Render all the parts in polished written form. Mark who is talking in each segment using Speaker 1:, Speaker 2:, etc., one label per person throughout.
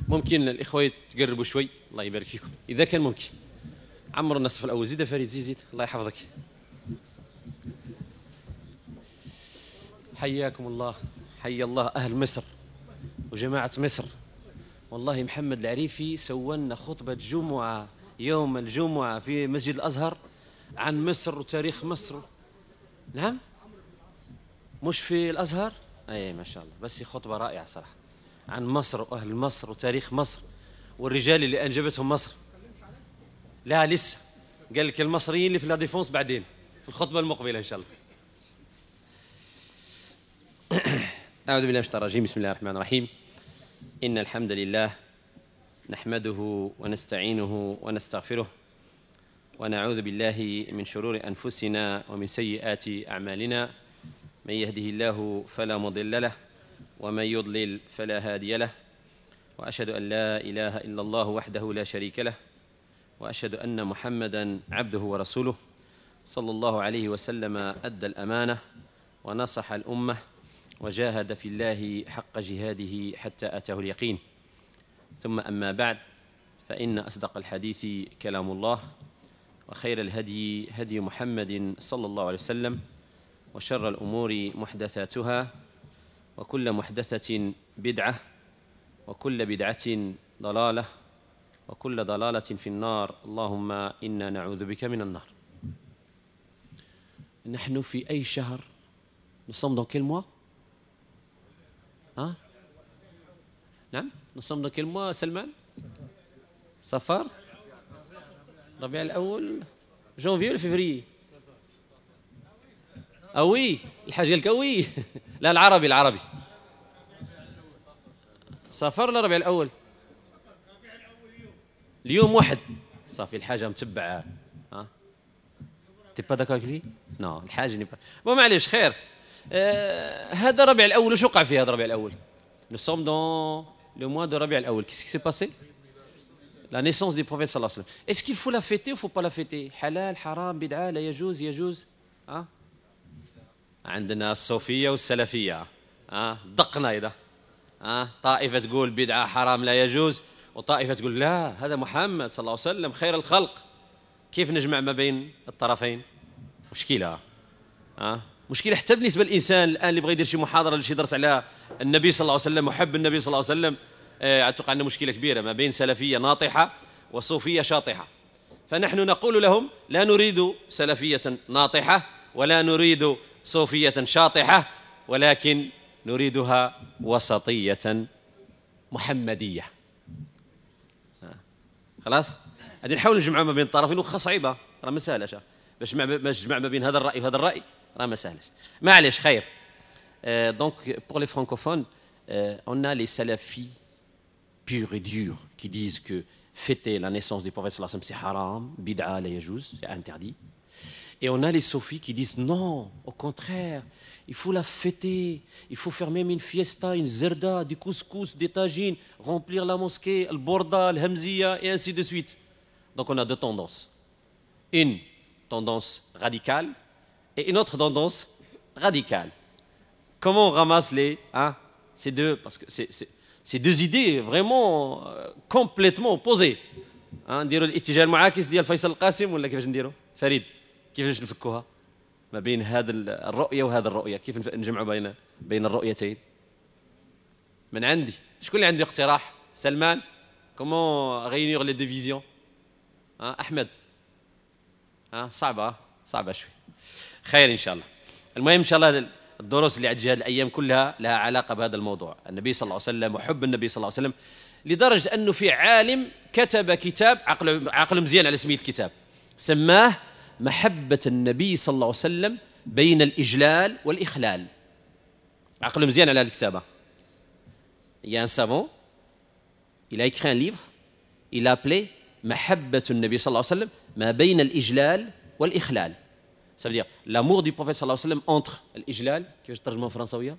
Speaker 1: ممكن الإخوة تقربوا شوي، الله يبارك فيكم إذا كان ممكن. عمروا النصف الأول. زيد فريد، زيد زيد، الله يحفظك. حياكم الله، حيا الله أهل مصر وجماعة مصر. والله محمد العريفي سوّلنا خطبة جمعة يوم الجمعة في مسجد الأزهر عن مصر وتاريخ مصر. نعم، مش في الأزهر؟ أي ما شاء الله، بس خطبة رائعة صراحة عن مصر وأهل مصر وتاريخ مصر والرجال اللي أنجبتهم مصر. لا لسه، قال لك المصريين اللي في La Défense بعدين في الخطبة المقبلة إن شاء الله. أعوذ بالله من الشيطان الرجيم. بسم الله الرحمن الرحيم. إن الحمد لله نحمده ونستعينه ونستغفره ونعوذ بالله من شرور أنفسنا ومن سيئات أعمالنا. من يهده الله فلا مضل له ومن يضلل فلا هادي له، وأشهد أن لا إله إلا الله وحده لا شريك له، وأشهد أن محمدا عبده ورسوله صلى الله عليه وسلم، أدى الأمانة ونصح الأمة وجاهد في الله حق جهاده حتى أتاه اليقين. ثم أما بعد، فإن أصدق الحديث كلام الله، وخير الهدي هدي محمد صلى الله عليه وسلم، وشر الأمور محدثاتها، وكل محدثة بدعة، وكل بدعة ضلالة، وكل ضلالة في النار. اللهم إنا نعوذ بك من النار. نحن في أي شهر؟ Nous sommes dans quel mois? Hein? نعم، nous sommes dans quel mois سلمان؟ صفر؟ ربيع الأول، جونفي ولا فيفري؟ ah oui، الحاج قال لك oui. لا العربي، العربي صفر ولا ربيع الأول؟ اليوم واحد صافي. الحاجة متبعة. ها t'es pas d'accord avec lui؟ non الحاج n'est pas bon، معليش خير. هذا ربيع الأول، واش وقع فيه هذا ربيع الأول؟ Nous sommes dans le mois de ربيع الأول. Qu'est-ce qui s'est passé? La naissance du prophète صلى الله عليه وسلم. Est-ce qu'il faut la fêter ou faut pas la fêter? حلال، حرام، بدعة، لا يجوز، يجوز؟ ها؟ عندنا الصوفية والسلفية، ها دقنا إذا، ها طائفة تقول بدعة حرام لا يجوز، وطائفة تقول لا هذا محمد صلى الله عليه وسلم خير الخلق. كيف نجمع ما بين الطرفين؟ مشكلة، ها مشكلة حتى بالنسبة للإنسان الآن اللي بغى يدير شي محاضرة ولا شي درس على النبي صلى الله عليه وسلم وحب النبي صلى الله عليه وسلم. أتوقع أن مشكلة كبيرة ما بين سلفية ناطحة وصوفية شاطحة. فنحن نقول لهم لا نريد سلفية ناطحة ولا نريد صوفية شاطحة، ولكن نريدها وسطية محمدية. خلاص غادي نحاول نجمع ما بين الطرفين، واخا صعيبة راه ما ساهلاش باش تجمع ما بين هذا الرأي وهذا الرأي، راه ما ساهلاش. معليش خير. Donc pour les francophones, on a les salafis purs et durs qui disent que fêter la naissance du prophète sallallahu alayhi wa sallam c'est haram, bid'a, la yajouz, c'est interdit. Et on a les soufis qui disent non, au contraire, il faut la fêter, il faut faire même une fiesta, une zerda, du couscous, des tagines, remplir la mosquée, le borda, le hamzia, et ainsi de suite. Donc on a deux tendances. Une tendance radicale et une autre tendance radicale. Comment on ramasse les, hein, ces deux, parce que c'est deux idées vraiment complètement opposées. Hein, نديروا الاتجاه المعاكس ديال فيصل القاسم ولا كيفاش نديروا؟ فريد كيفاش نفكوها ما بين هذا الرؤية وهذا الرؤية؟ كيف نجمعوا بين الرؤيتين؟ من عندي شكون اللي عنده اقتراح؟ سلمان، comment réunir les deux visions؟ أحمد، صعبة، صعبة شوي. خير إن شاء الله. المهم إن شاء الله الدروس اللي عندي هذه الأيام كلها لها علاقة بهذا الموضوع، النبي صلى الله عليه وسلم وحب النبي صلى الله عليه وسلم، لدرجة أنه في عالم كتب كتاب عقل مزيان على سمية الكتاب، سماه محبة النبي صلى الله عليه وسلم بين الإجلال والإخلال. عقل مزيان على هذه الكتابة. Il y a un savant, il a écrit un livre, il a appelé محبة النبي صلى الله عليه وسلم ما بين الإجلال والإخلال. Ça veut dire l'amour du prophète صلى الله عليه وسلم entre الإجلال، كيفاش الترجمة الفرنساوية؟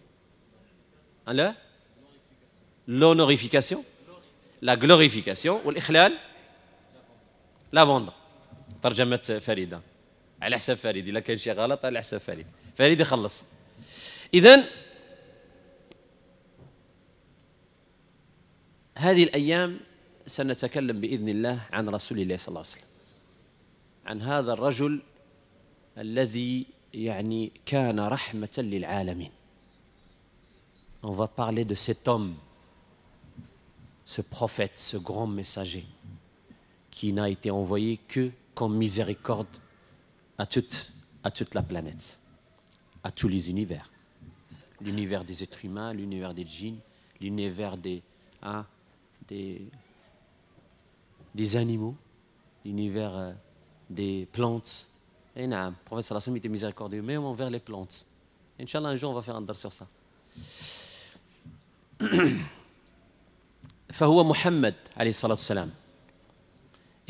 Speaker 1: لا؟ L'honorification, la glorification، والإخلال l'abandon. ترجمة فريدة على حساب فريد، إلا كان شي غلط على حساب فريد، فريد يخلص. إذن هذا هذه الأيام سنتكلم بإذن الله عن رسول الله صلى الله عليه وسلم، عن هذا الرجل الذي يعني كان رحمة للعالمين. On va parler de cet homme, ce prophète, ce grand messager qui n'a été envoyé que comme miséricorde à toute la planète, à tous les univers. L'univers des êtres humains, l'univers des djinns, l'univers hein, des animaux, l'univers des plantes. Et نعم, le prophète صلى الله عليه وسلم était miséricordieux même envers les plantes. إن شاء الله, un jour, on va faire un درس sur ça. فهو محمد عليه الصلاة والسلام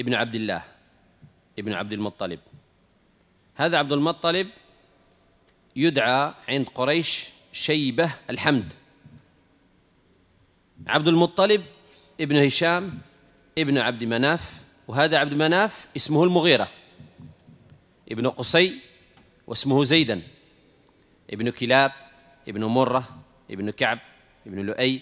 Speaker 1: ابن عبد الله ابن عبد المطلب. هذا عبد المطلب يدعى عند قريش شيبة الحمد. عبد المطلب ابن هشام ابن عبد مناف، وهذا عبد مناف اسمه المغيرة ابن قصي واسمه زيدا ابن كلاب ابن مرة ابن كعب ابن لؤي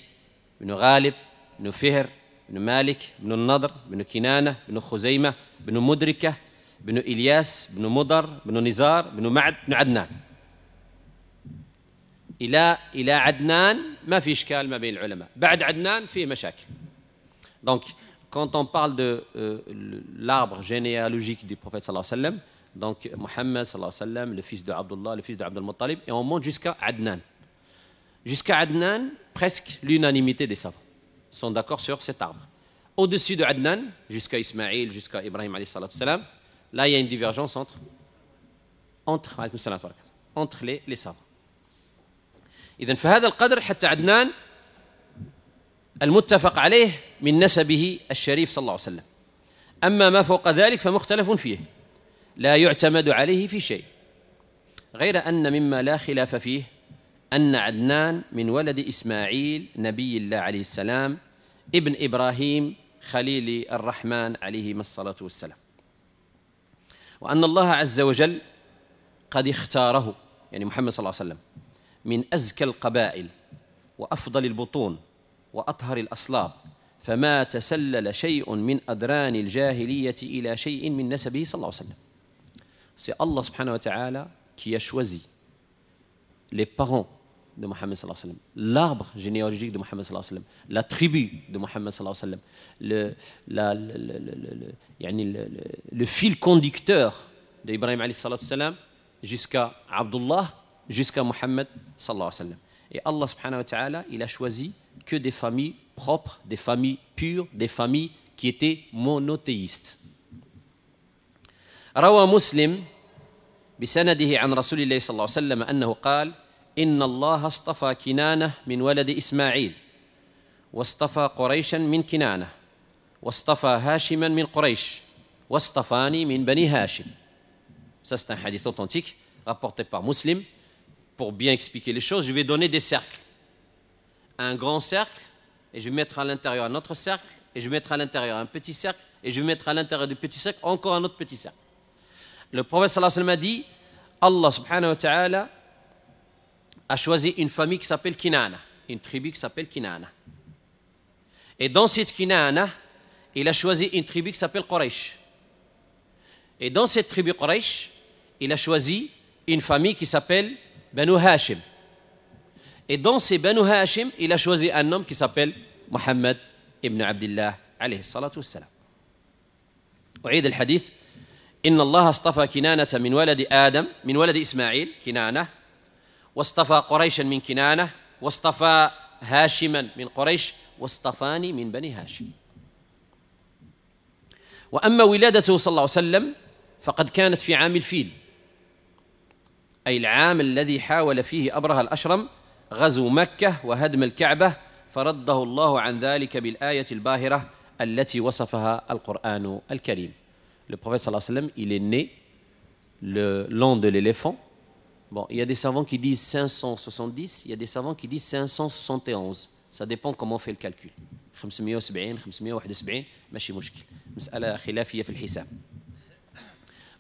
Speaker 1: ابن غالب ابن فهر ابن مالك ابن النضر ابن كنانة ابن خزيمة ابن مدركة ابن إلياس ابن مضر ابن نزار ابن معد ابن عدنان. إلى عدنان ما في إشكال ما بين العلماء، بعد عدنان فيه مشاكل. Donc quand on parle de l'arbre généalogique du prophète صلى الله عليه وسلم, donc Mohammed صلى الله عليه وسلم, le fils de Abdullah, le fils de Abdul Muttalib, et on monte jusqu'à Adnan. Jusqu'à Adnan, presque l'unanimité des savants sont d'accord sur cet arbre. Au-dessus de Adnan, jusqu'à Ismaïl, jusqu'à Ibrahim عليه الصلاة والسلام, là il y a une divergence entre les savants. إذن فهذا القدر حتى عدنان المتفق عليه من نسبه الشريف صلى الله عليه وسلم. أما ما فوق ذلك فمختلف فيه، لا يعتمد عليه في شيء، غير أن مما لا خلاف فيه أن عدنان من ولد إسماعيل نبي الله عليه السلام ابن إبراهيم خليل الرحمن عليهما الصلاة والسلام، وأن الله عز وجل قد اختاره، يعني محمد صلى الله عليه وسلم، من أزكى القبائل وأفضل البطون وأطهر الأصلاب، فما تسلل شيء من أدران الجاهلية إلى شيء من نسبه صلى الله عليه وسلم. C'est Allah سبحانه وتعالى qui a choisi les parents de Mohammed صلى الله عليه وسلم, l'arbre généalogique de Mohammed صلى الله عليه وسلم, la tribu de Mohammed صلى الله عليه وسلم, يعني le fil conducteur d'Ibrahim عليه الصلاة والسلام jusqu'à Abdullah, jusqu'à Mohammed صلى الله عليه وسلم. Et Allah سبحانه وتعالى, il a choisi que des familles propres, des familles pures, des familles qui étaient monothéistes. روى مسلم بسنده عن رسول الله صلى الله عليه وسلم أنه قال: إن الله اصطفى كنانة من ولد إسماعيل، واصطفى قريشا من كنانة، واصطفى هاشما من قريش، واصطفاني من بني هاشم. Ça, c'est un hadith authentique rapporté par Muslim. Pour bien expliquer les choses, je vais donner des cercles. Un grand cercle, et je vais mettre à l'intérieur un autre cercle, et je vais mettre à l'intérieur un petit cercle, et je vais mettre à l'intérieur du petit cercle encore un autre petit cercle. Le prophète صلى الله عليه وسلم a dit: Allah سبحانه وتعالى a choisi une famille qui s'appelle Kinana, une tribu qui s'appelle Kinana. Et dans cette Kinana, il a choisi une tribu qui s'appelle Quraysh. Et dans cette tribu Quraysh, il a choisi une famille qui s'appelle Banu Hashim. Et dans ces Banu Hashim, il a choisi un homme qui s'appelle Muhammad ibn Abdullah عليه الصلاة والسلام. أعيد الحديث: إن الله اصطفى كنانة من ولد آدم، من ولد إسماعيل كنانة، واصطفى قريشا من كنانة، واصطفى هاشما من قريش، واصطفاني من بني هاشم. وأما ولادته صلى الله عليه وسلم فقد كانت في عام الفيل، أي العام الذي حاول فيه أبرهة الأشرم غزو مكة وهدم الكعبة، فرده الله عن ذلك بالآية الباهرة التي وصفها القرآن الكريم. Le prophète صلى الله عليه وسلم, il est né l'an de l'éléphant. Bon, il y a des savants qui disent 570, il y a des savants qui disent 571. Ça dépend comment on fait le calcul. 570, 571, ماشي مشكل. مسألة خلافية في الحساب.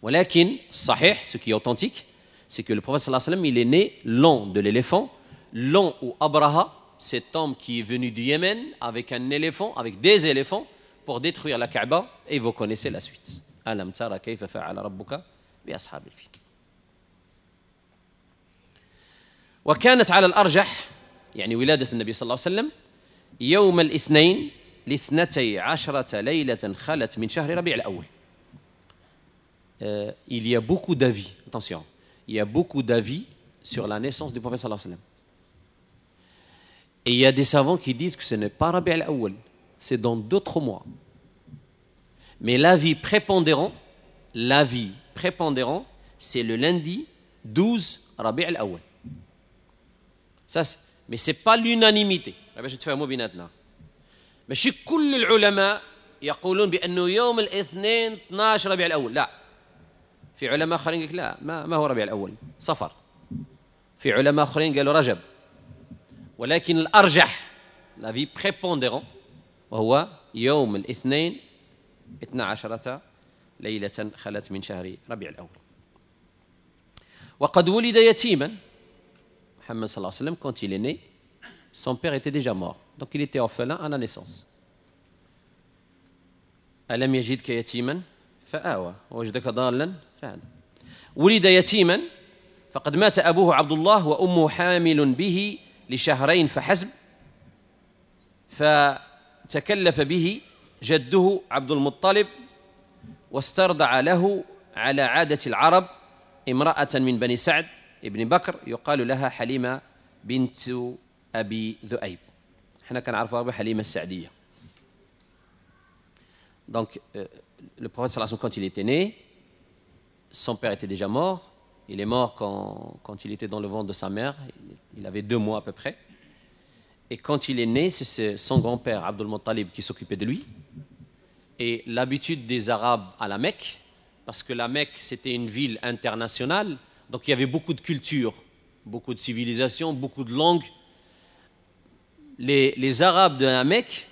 Speaker 1: ولكن الصحيح, ce qui est authentique, c'est que le prophète صلى الله عليه وسلم, il est né l'an de l'éléphant, l'an où Abraha, cet homme qui est venu du Yémen avec un éléphant, avec des éléphants, pour détruire la Kaaba, et vous connaissez la suite. ألم ترى كيف فعل ربك بأصحاب الفيل. وكانت على الأرجح يعني ولادة النبي صلى الله عليه وسلم يوم الاثنين ل12 ليلة خلت من شهر ربيع الأول. Il y a beaucoup d'avis, attention, il y a beaucoup d'avis sur la naissance du prophète صلى الله عليه وسلم. Et il y a des savants qui disent que ce n'est pas ربيع الأول, c'est dans d'autres mois. Mais l'avis prépondérant, c'est le lundi 12 ربيع الأول. Ça, mais ce n'est pas l'unanimité. باش تفهموا بيناتنا. ماشي كل العلماء يقولون بأنه يوم الاثنين 12 ربيع الأول، لا. في علماء آخرين قالوا لا، ما هو ربيع الأول، صفر. في علماء آخرين قالوا رجب. ولكن الأرجح l'avis prépondérant وهو يوم الاثنين 12 ليلة خلت من شهر ربيع الأول. وقد ولد يتيما. محمد صلى الله عليه وسلم, quand il est né, son père était déjà mort. Donc il était orphelin à la naissance. ألم يجدك يتيما فآوى ووجدك ضالا فهدى. ولد يتيما فقد مات أبوه عبد الله وأمه حامل به لشهرين فحسب، فتكلف به جده عبد المطلب واسترضع له على عادة العرب امرأة من بني سعد ابن بكر يقال لها حليمة بنت أبي ذؤيب. احنا كنعرفوها بحليمة السعدية. Donc le prophète صلى الله عليه وسلم, quand il était né, son père était déjà mort. Il est mort quand il était dans le ventre de sa mère. Il avait 2 mois à peu près. Et quand il est né, c'est son grand-père Abdul Muttalib qui s'occupait de lui. Et l'habitude des Arabes à la Mecque, parce que la Mecque c'était une ville internationale, donc il y avait beaucoup de cultures, beaucoup de civilisations, beaucoup de langues. Les Arabes de la Mecque,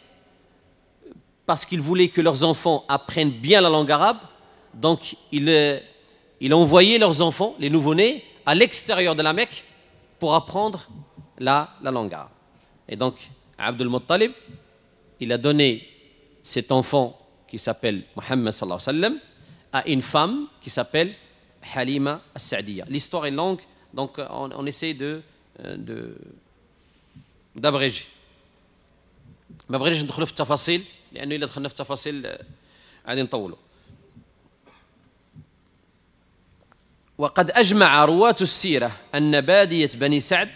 Speaker 1: parce qu'ils voulaient que leurs enfants apprennent bien la langue arabe, donc ils envoyaient leurs enfants, les nouveau-nés, à l'extérieur de la Mecque pour apprendre la langue arabe. Et donc, Abdul Muttalib, il a donné cet enfant qui s'appelle Muhammad صلى الله عليه وسلم à une femme qui s'appelle Halima as-Sa'diya. L'histoire est longue, donc on essaie d'abréger. ما بغيناش ندخلوا في التفاصيل لأنه إلا دخلنا في التفاصيل غادي نطولوا. وقد أجمع رواة السيرة أن بادية بني سعد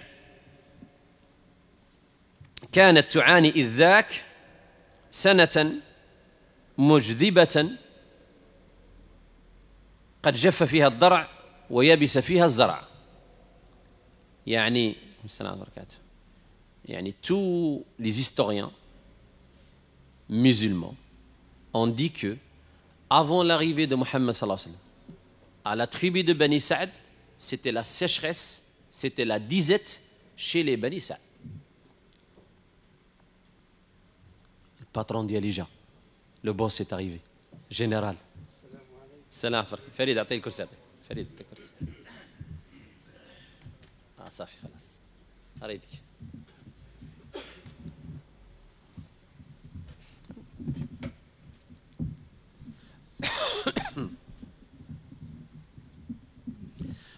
Speaker 1: كانت تعاني إذ ذاك سنة مجذبة قد جف فيها الضرع ويبس فيها الزرع. يعني يعني tous les historiens musulmans ont dit que avant l'arrivée de Mohammed صلى الله عليه وسلم à la tribu de Bani Saad, c'était la sécheresse, c'était la disette chez les Bani Saad. Le patron d'Yalija, le boss est arrivé, général. السلام عليكم. فريد اعطيه الكرسي، اعطيه فريد اعطيه الكرسي. صافي خلاص اريدك.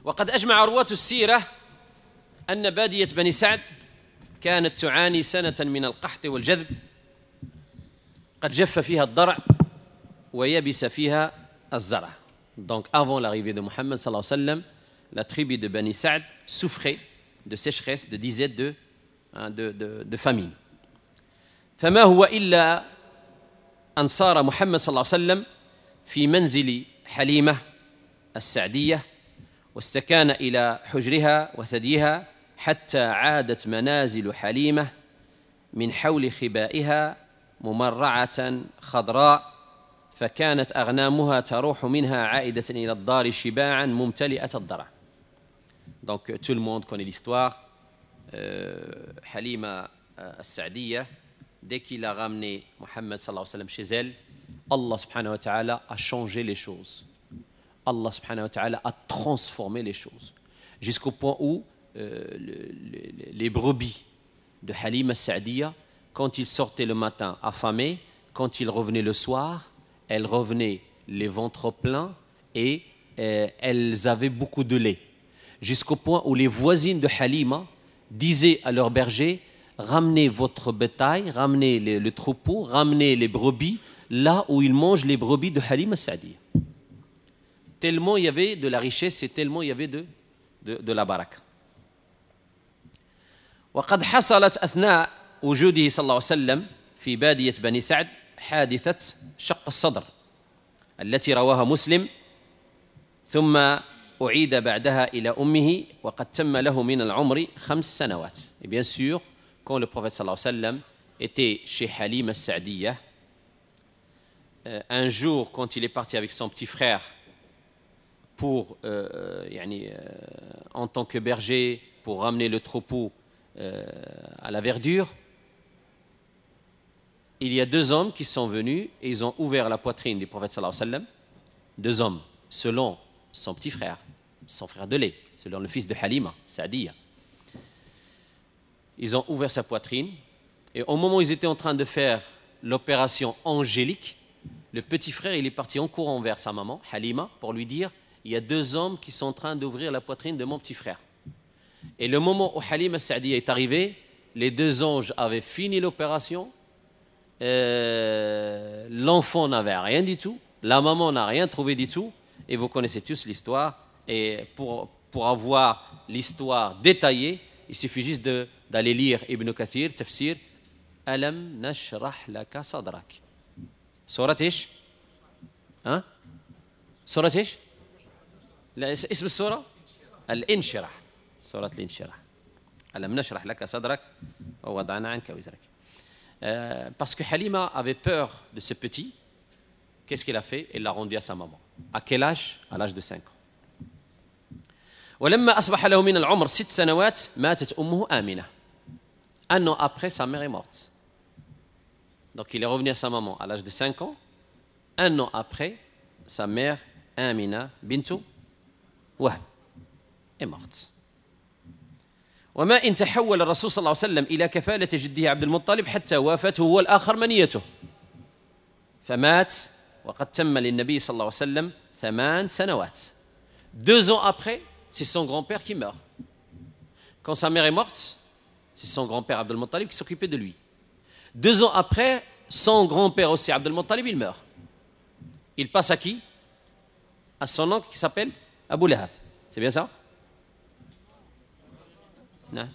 Speaker 1: وقد أجمع رواة السيرة أن بادية بني سعد كانت تعاني سنة من القحط والجذب قد جف فيها الضرع ويبس فيها الزرع. Donc avant l'arrivée de Muhammad صلى الله عليه وسلم, la tribu de Bani Saad souffrait de sécheresse, de disette, de famine. فما هو إلا أن صار محمد صلى الله عليه وسلم في منزل حليمة السعدية واستكان إلى حجرها وثديها حتى عادت منازل حليمة من حول خبائها ممرعة خضراء، فكانت أغنامها تروح منها عائدة إلى الدار شباعا ممتلئة الضرع. Donc tout le monde connaît l'histoire. Halima as-Sa'diyya, dès qu'il a ramené Muhammad صلى الله عليه وسلم chez elle, Allah سبحانه وتعالى a changé les choses. Allah سبحانه وتعالى a transformé les choses jusqu'au point où les brebis de Halima Sa'diya, quand il sortait le matin affamé, quand il revenait le soir, elle revenait les ventres pleins et elles avaient beaucoup de lait. Jusqu'au point où les voisines de Halima disaient à leur berger, ramenez votre bétail, ramenez le troupeau, ramenez les brebis là où ils mangent les brebis de Halima Sa'diya. Tellement il y avait de la richesse et tellement il y avait de la baraka. وقد حصلت أثناء وجوده صلى الله عليه وسلم في بادية بني سعد حادثة شق الصدر التي رواها مسلم، ثم أعيد بعدها إلى أمه وقد تم له من العمر 5 سنوات. Et bien sûr, quand le prophète صلى الله عليه وسلم était chez Halima Sa'diya, un jour quand il est parti avec son petit frère pour en tant que berger pour ramener le troupeau à la verdure, il y a 2 hommes qui sont venus et ils ont ouvert la poitrine du prophète sallallahu alayhi wa sallam. 2 hommes, selon son petit frère, son frère de lait, selon le fils de Halima, Sa'diya. Ils ont ouvert sa poitrine et au moment où ils étaient en train de faire l'opération angélique, le petit frère, il est parti en courant vers sa maman, Halima, pour lui dire: il y a 2 hommes qui sont en train d'ouvrir la poitrine de mon petit frère. Et le moment où Halima Sa'diya est arrivée, les 2 anges avaient fini l'opération, l'enfant n'avait rien du tout, la maman n'a rien trouvé du tout, et vous connaissez tous l'histoire. Et pour avoir l'histoire détaillée, il suffit juste d'aller lire Ibn Kathir, Tafsir, Alam nashrah laka sadrak. Surat ish? Hein? Surat ish? لا اسم السورة؟ الانشراح. سورة الانشراح. ألم نشرح لك صدرك ووضعنا عنك وزرك. Parce que Halima avait peur de ce petit, qu'est-ce qu'elle a fait? Elle l'a rendu à sa maman. À quel âge? À l'âge de 5 ans. ولما أصبح له من العمر 6 سنوات ماتت أمه آمنة. Un an après, sa mère est morte. Donc il est revenu à sa maman à l'âge de 5 ans. Un an après, sa mère Amina bintu Wahb est morte. وما إن تحول الرسول صلى الله عليه وسلم إلى كفالة جده عبد المطلب حتى وافته هو الآخر منيته فمات وقد تم للنبي صلى الله عليه وسلم 8 سنوات. 2 ans après, c'est son grand-père qui meurt. Quand sa mère est morte, c'est son grand-père Abdel Muttalib qui s'occupait de lui. 2 ans après, son grand-père aussi, Abdel Muttalib, il meurt. Il passe à qui? À son oncle qui s'appelle Abu Lahab. C'est bien ça? Non.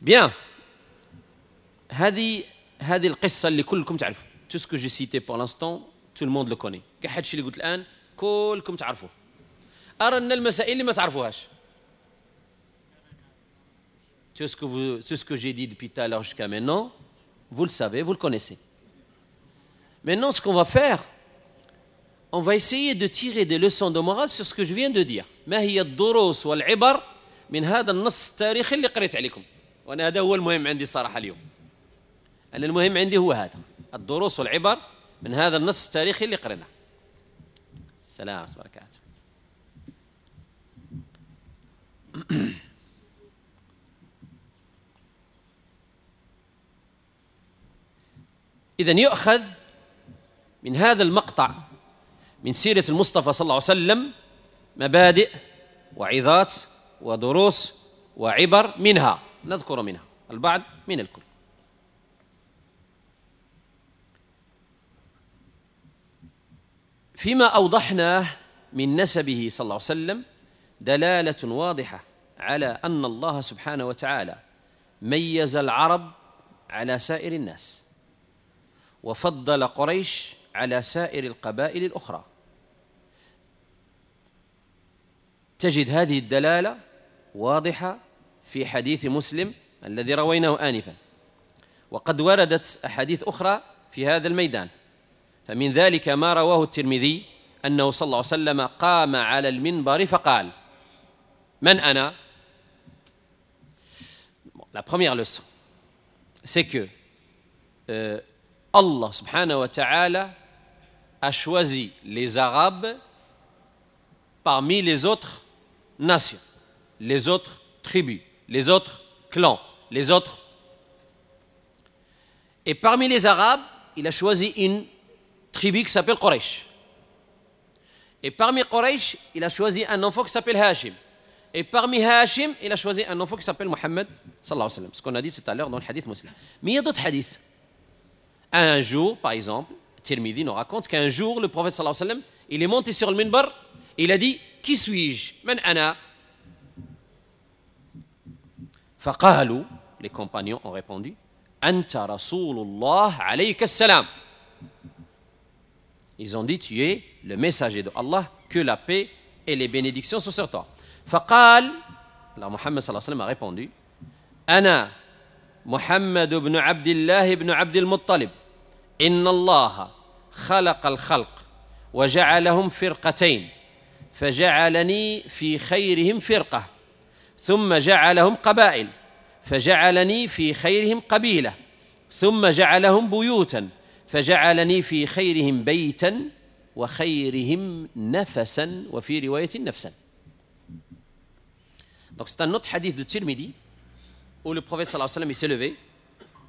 Speaker 1: Bien. هذه القصة اللي كلكم تعرفوا. Tout ce que j'ai cité pour l'instant, tout le monde le connaît. كحد شي اللي قلت الآن كلكم تعرفوه. أرى أن المسائل اللي ما تعرفوهاش. Tout ce que j'ai dit depuis tout à l'heure jusqu'à maintenant, vous le savez, vous le connaissez. Maintenant, ce qu'on va faire, on va essayer de tirer des leçons de morale sur ce que je viens de dire. ما هي الدروس والعبر من هذا النص التاريخي اللي قريت عليكم؟ وأنا هذا هو المهم عندي صراحة اليوم. أنا المهم عندي هو هذا، الدروس والعبر من هذا النص التاريخي اللي قريناه. السلام عليكم وبركاته. إذن يؤخذ من هذا المقطع من سيرة المصطفى صلى الله عليه وسلم مبادئ وعظات ودروس وعبر، منها نذكر منها البعض من الكل. فيما أوضحناه من نسبه صلى الله عليه وسلم دلالة واضحة على أن الله سبحانه وتعالى ميز العرب على سائر الناس وفضل قريش على سائر القبائل الأخرى. تجد هذه الدلالة واضحة في حديث مسلم الذي رويناه آنفا، وقد وردت أحاديث أخرى في هذا الميدان، فمن ذلك ما رواه الترمذي أنه صلى الله عليه وسلم قام على المنبر فقال: من أنا؟ La première leçon, c'est que Allah subhanahu wa ta'ala a choisi les Arabes parmi les autres nations. les autres tribus, les autres clans, les autres. Et parmi les Arabes, il a choisi une tribu qui s'appelle Quraysh. Et parmi Quraysh, il a choisi un enfant qui s'appelle Hashim. Et parmi Hashim, il a choisi un enfant qui s'appelle Mohammed صلى الله عليه وسلم. Ce qu'on a dit tout à l'heure dans le hadith Muslim. Mais il y a d'autres hadiths. Un jour, par exemple, Tirmidhi nous raconte qu'un jour, le prophète صلى الله عليه وسلم, il est monté sur le minbar, il a dit: Qui suis-je? من أنا? فقالوا, les compagnons ont répondu: أنت رسول الله عليك السلام. Ils ont dit: Tu es le messager de Allah, que la paix et les bénédictions soient sur toi. فقال, alors Muhammad صلى الله عليه وسلم a répondu: أنا محمد بن عبد الله بن عبد المطلب إن الله خلق الخلق وجعلهم فرقتين فجعلني في خيرهم فرقة ثم جعلهم قبائل فجعلني في خيرهم قبيلة ثم جعلهم بيوتا فجعلني في خيرهم بيتا وخيرهم نفسا وفي رواية نفسا. Donc c'est un autre hadith de Tirmidhi où le prophète صلى الله عليه وسلم il s'est levé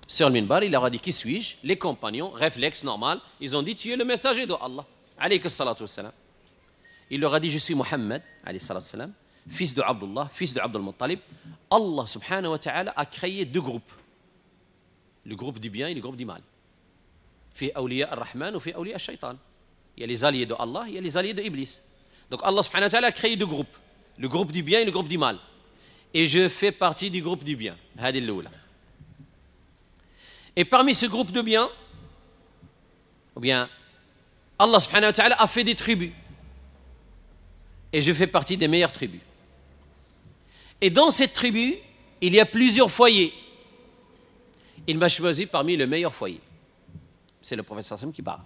Speaker 1: sur le minbar, il leur a dit: Qui suis-je? Les compagnons, réflexe normal, ils ont dit: Tu es le messager de Allah عليه الصلاة والسلام. Il leur a dit: Je suis Muhammad عليه الصلاة والسلام, fils de Abdullah, fils de Abdul Muttalib. Allah سبحانه وتعالى a créé deux groupes, le groupe du bien et le groupe du mal. في أولياء الرحمن وفي أولياء الشيطان. Il y a les alliés de Allah, il y a les alliés de Iblis. Donc Allah سبحانه وتعالى a créé deux groupes, le groupe du bien et le groupe du mal. Et je fais partie du groupe du bien. هذه الأولى. Et parmi ce groupe de bien, ou bien Allah سبحانه وتعالى a fait des tribus. Et je fais partie des meilleures tribus. Et dans cette tribu, il y a plusieurs foyers. Il m'a choisi parmi le meilleur foyer. C'est le prophète صلى الله عليه وسلم qui parle.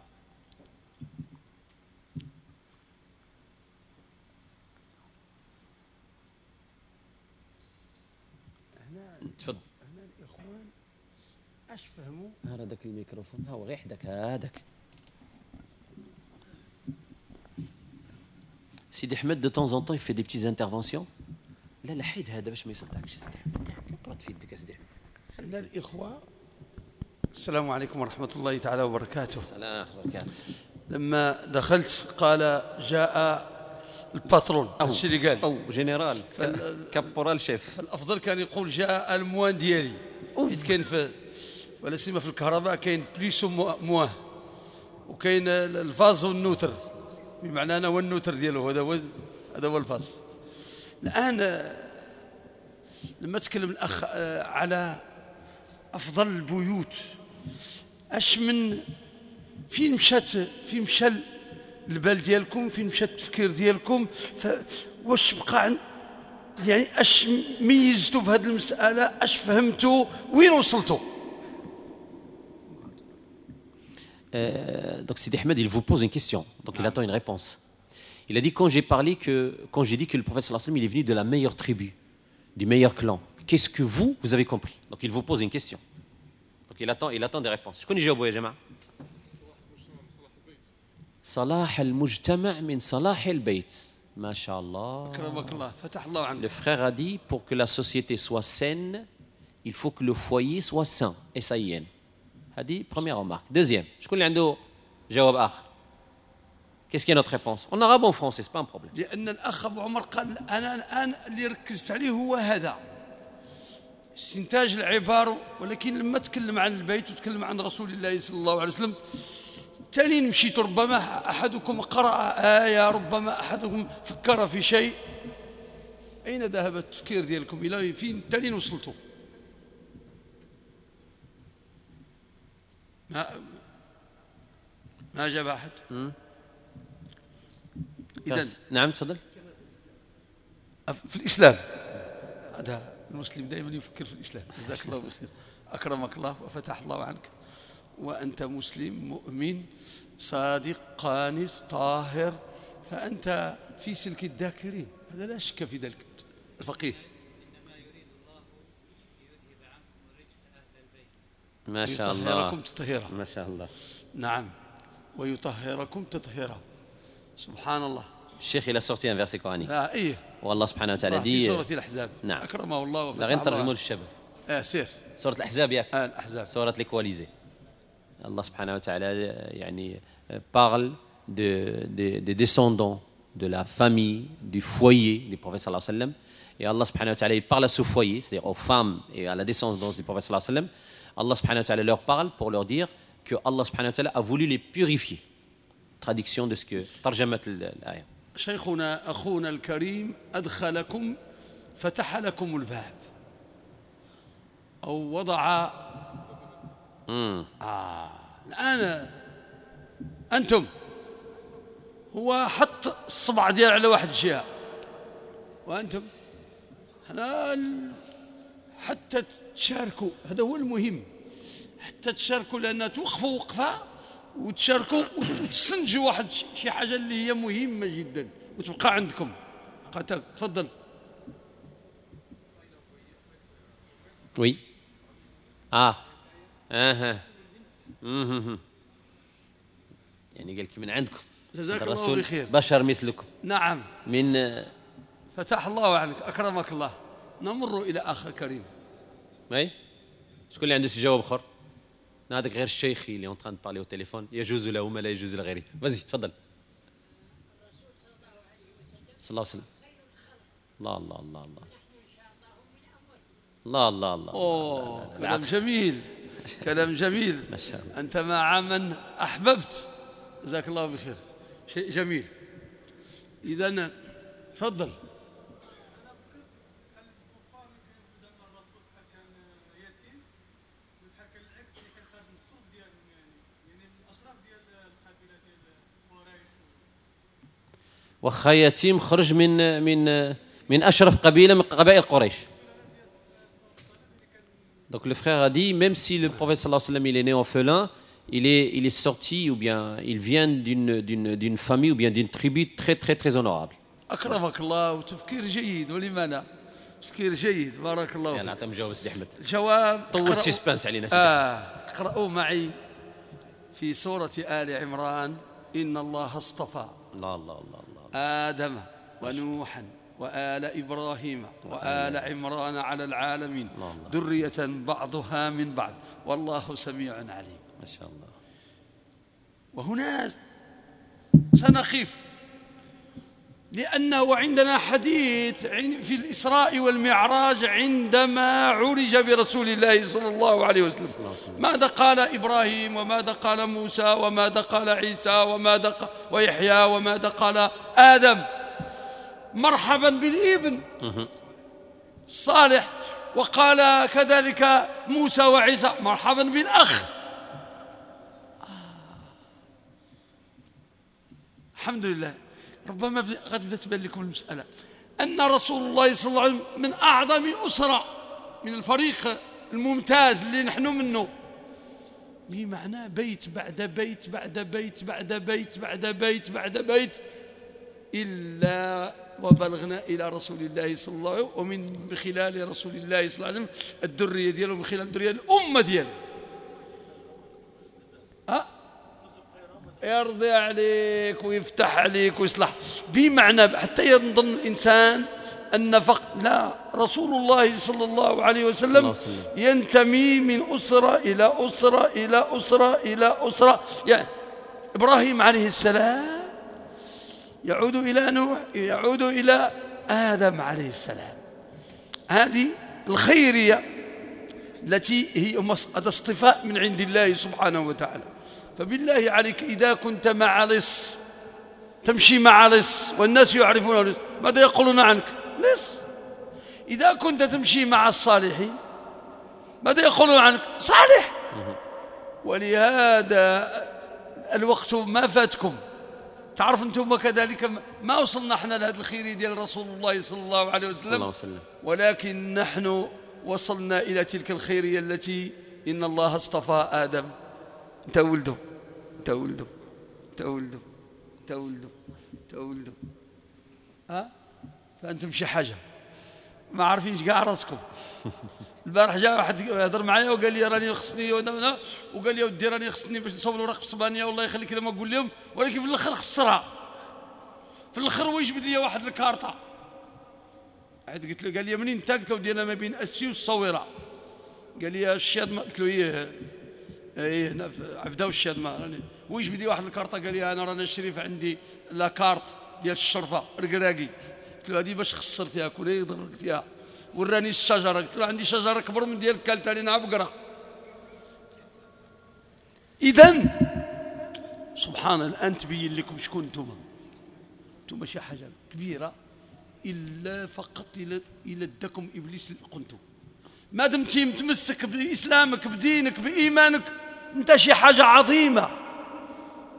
Speaker 1: تفضل.
Speaker 2: هنا الاخوان اش فهموا؟
Speaker 1: هذاك الميكروفون ها هو غير حداك هذاك. سيدي احمد de temps en temps il fait des petites interventions. لا لا، حيد هذا باش ما يصدعكش. سيدي احمد، قرات في يدك يا سيدي احمد.
Speaker 2: هنا الاخوه، السلام عليكم ورحمه الله تعالى وبركاته.
Speaker 1: السلام ورحمه الله وبركاته.
Speaker 2: لما دخلت قال جاء ال patron، هادشي اللي قال.
Speaker 1: او général، caporal-chef.
Speaker 2: فالافضل كان يقول جاء ال moins ديالي، حيت كاين في ولا سيما في الكهرباء كاين plus و moins وكاين ال phase وال neutre، بمعنى انا هو ال neutre ديالو، هذا هو ال phase. الان لما تكلم الاخ على افضل البيوت، اش من فين مشات، فين مشى البال ديالكم، فين مشى التفكير ديالكم؟ واش بقى عن يعني اش ميزتوا في هذه المساله؟ اش فهمتوا؟ وين وصلتوا؟
Speaker 1: Donc Sidi Ahmed, il vous pose une question, donc il attend une réponse. Il a dit quand j'ai dit que le prophète صلى الله عليه وسلم, il est venu de la meilleure tribu, du meilleur clan, qu'est-ce que vous, vous avez compris? Donc il vous pose une question. Donc il attend des réponses. شكون يجاوبوا يا جماعة؟ صلاح المجتمع من صلاح البيت. ما شاء الله.
Speaker 2: اكرمك الله، فتح الله عنك.
Speaker 1: Le frère a dit: pour que la société soit saine, il faut que le foyer soit sain. S-A-I-N. هذه première remarque. Deuxième, شكون اللي عنده جواب آخر؟ Qu'est-ce qui est notre réponse؟ En arabe ou en français, c'est pas un problème.
Speaker 2: لان الاخ ابو عمر قال، انا الان اللي ركزت عليه هو هذا استنتاج العبارة، ولكن لما تكلم عن البيت وتكلم عن رسول الله صلى الله عليه وسلم، تالين مشيت، ربما أحدكم قرأ آية، ربما أحدكم فكر في شيء. أين ذهب التفكير ديالكم؟ إلى فين تالين وصلتوا؟ ما أجاب أحد. إذن
Speaker 1: نعم، تفضل.
Speaker 2: في الإسلام، هذا المسلم دائما يفكر في الإسلام. جزاك الله بخير، أكرمك الله وفتح الله عنك، وأنت مسلم مؤمن صادق قانت طاهر، فأنت في سلك الذاكرين، هذا لا شك في ذلك. الفقيه.
Speaker 3: إنما يريد الله ليذهب عنكم الرجس أهل البيت.
Speaker 1: ما شاء الله.
Speaker 2: ويطهركم تطهيرا.
Speaker 1: ما شاء الله.
Speaker 2: نعم، ويطهركم تطهيرا. سبحان الله.
Speaker 1: الشيخ il a sorti un verset coranique.
Speaker 2: ايه.
Speaker 1: والله سبحانه وتعالى
Speaker 2: في
Speaker 1: dit
Speaker 2: سورة الأحزاب.
Speaker 1: نعم.
Speaker 2: أكرمه الله وفتح
Speaker 1: لا غير نترجموا
Speaker 2: الله.
Speaker 1: للشباب.
Speaker 2: سير.
Speaker 1: سورة الأحزاب ياك.
Speaker 2: الأحزاب.
Speaker 1: سورة les coalisés. الله سبحانه وتعالى يعني parle des descendants de la famille, du foyer du prophète صلى الله عليه وسلم. Et الله سبحانه وتعالى, il parle à ce foyer, c'est-à-dire aux femmes et à la descendance du prophète صلى الله عليه وسلم. الله سبحانه وتعالى leur parle pour leur dire que الله سبحانه وتعالى a voulu les purifier. Traduction de ce que ترجمة الآية.
Speaker 2: شيخنا أخونا الكريم أدخلكم، فتح لكم الباب أو وضع. الآن أنتم هو حط الصبع ديال على واحد الجهة، وأنتم حنا حتى تشاركوا، هذا هو المهم، حتى تشاركوا، لأن توقفوا وقفة وتشاركوا وتستنتجوا واحد شي حاجة اللي هي مهمة جدا وتبقى عندكم. بقى تفضل.
Speaker 1: oui. يعني قال لك من عندكم.
Speaker 2: جزاك الله بخير.
Speaker 1: بشر مثلكم.
Speaker 2: نعم.
Speaker 1: من
Speaker 2: فتح الله عنك، أكرمك الله. نمر إلى آخر كريم.
Speaker 1: oui. شكون اللي عنده شي جواب آخر؟ هذاك غير الشيخي اللي en train de parler au téléphone، يجوز له ما لا يجوز لغيره. vas-y تفضل. صلى الله عليه وسلم. الله الله الله الله الله الله الله.
Speaker 2: أوه، كلام جميل، كلام جميل.
Speaker 1: ما شاء الله.
Speaker 2: أنت مع من أحببت، جزاك الله بخير، شيء جميل. إذا تفضل.
Speaker 1: وخا يتيم خرج من من من أشرف قبيلة من قبائل قريش. Donc le frère a dit, même si le prophète صلى الله عليه وسلم il est né orphelin, il est sorti ou bien il vient d'une famille ou bien d'une tribu très très très honorable.
Speaker 2: أكرمك الله، وتفكير جيد، ولما لا؟ تفكير جيد، بارك الله فيك.
Speaker 1: يلا عطيهم جواب سيدي أحمد.
Speaker 2: الجواب
Speaker 1: طول suspense علينا سيدي.
Speaker 2: اقرأوا معي في سورة آل عمران: إن الله اصطفى
Speaker 1: الله الله الله الله
Speaker 2: آدم ونوحا وآل إبراهيم وآل عمران على العالمين ذرية بعضها من بعض والله سميع عليم.
Speaker 1: ما شاء الله.
Speaker 2: وهنا سنخف، لأنه عندنا حديث في الإسراء والمعراج عندما عرج برسول الله صلى الله عليه وسلم، ماذا قال إبراهيم وماذا قال موسى وماذا قال عيسى وماذا قال ويحيى وماذا قال آدم؟ مرحبا بالابن الصالح. وقال كذلك موسى وعيسى مرحبا بالأخ. الحمد لله. ربما غتبدا تبان لكم المسألة أن رسول الله صلى الله عليه وسلم من أعظم أسرة، من الفريق الممتاز اللي نحن منه، بمعنى بيت بعد بيت بعد بيت بعد بيت بعد بيت بعد بيت، إلا وبلغنا إلى رسول الله صلى الله عليه وسلم، ومن خلال رسول الله صلى الله عليه وسلم الذرية ديالو، من خلال الذرية الأمة ديالو. يرضي عليك ويفتح عليك ويصلح، بمعنى حتى يظن الإنسان أن فقط لا، رسول الله صلى الله عليه وسلم ينتمي من أسرة إلى أسرة إلى أسرة إلى أسرة. يعني إبراهيم عليه السلام يعود إلى نوح، يعود إلى آدم عليه السلام. هذه الخيرية التي هي هذا اصطفاء من عند الله سبحانه وتعالى. فبالله عليك إذا كنت مع لص، تمشي مع لص والناس يعرفون لص، ماذا يقولون عنك؟ لص. إذا كنت تمشي مع الصالحين ماذا يقولون عنك؟ صالح. ولهذا الوقت ما فاتكم. تعرف أنتم كذلك ما وصلنا احنا لهذا الخير ديال رسول الله صلى الله عليه وسلم، ولكن نحن وصلنا إلى تلك الخيرية التي إن الله اصطفى آدم. انت ولده، انت ولده، انت ولده، انت ولده، انت ولده. ها فأنتم شي حاجة ما عارفينش كاع راسكم. البارح جا واحد هضر معايا وقال لي راني خصني وانا، وقال لي ودي راني خصني باش نصوب الوراق في اسبانيا، والله يخليك لما نقول لهم، ولكن في الاخر خسرها. في الاخر هو يجبد لي واحد الكارطه. عاد قلت له، قال لي منين انت؟ قلت له ديالنا ما بين اسفي والصويره. قال لي الشادمه. قلت له ايه ايه هنا في عبده والشادمه. راني هو يجبد لي واحد الكارطه، قال لي انا رانا الشريف عندي la carte ديال الشرفة ركراكي. قلت له هذه باش خسرتيها كون ضرقتيها. وراني الشجرة، قلت له عندي شجرة كبر من ديالك كالت علينا بقرة. اذا سبحان الان تبين لكم شكون انتم. انتم شي حاجة كبيرة، الا فقط الى اداكم ابليس قنتو. ما دمتي متمسك باسلامك بدينك بايمانك، انت شي حاجة عظيمة.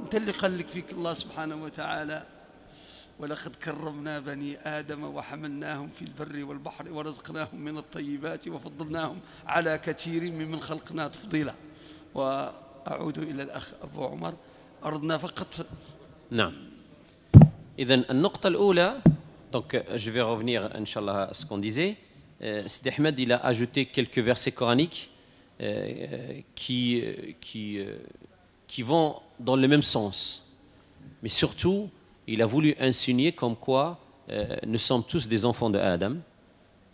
Speaker 2: انت اللي قال لك فيك الله سبحانه وتعالى: ولقد كرمنا بني آدم وحملناهم في البر والبحر ورزقناهم من الطيبات وفضلناهم على كثير ممن خلقنا تفضيلا. وأعود إلى الأخ أبو عمر، أردنا فقط.
Speaker 1: نعم. إذا النقطة الأولى، donc je vais revenir إن شاء الله à ce qu'on disait. Sidi Ahmed, il a ajouté quelques versets coraniques qui vont dans le même sens. Mais surtout, il a voulu insinuer comme quoi nous sommes tous des enfants de Adam.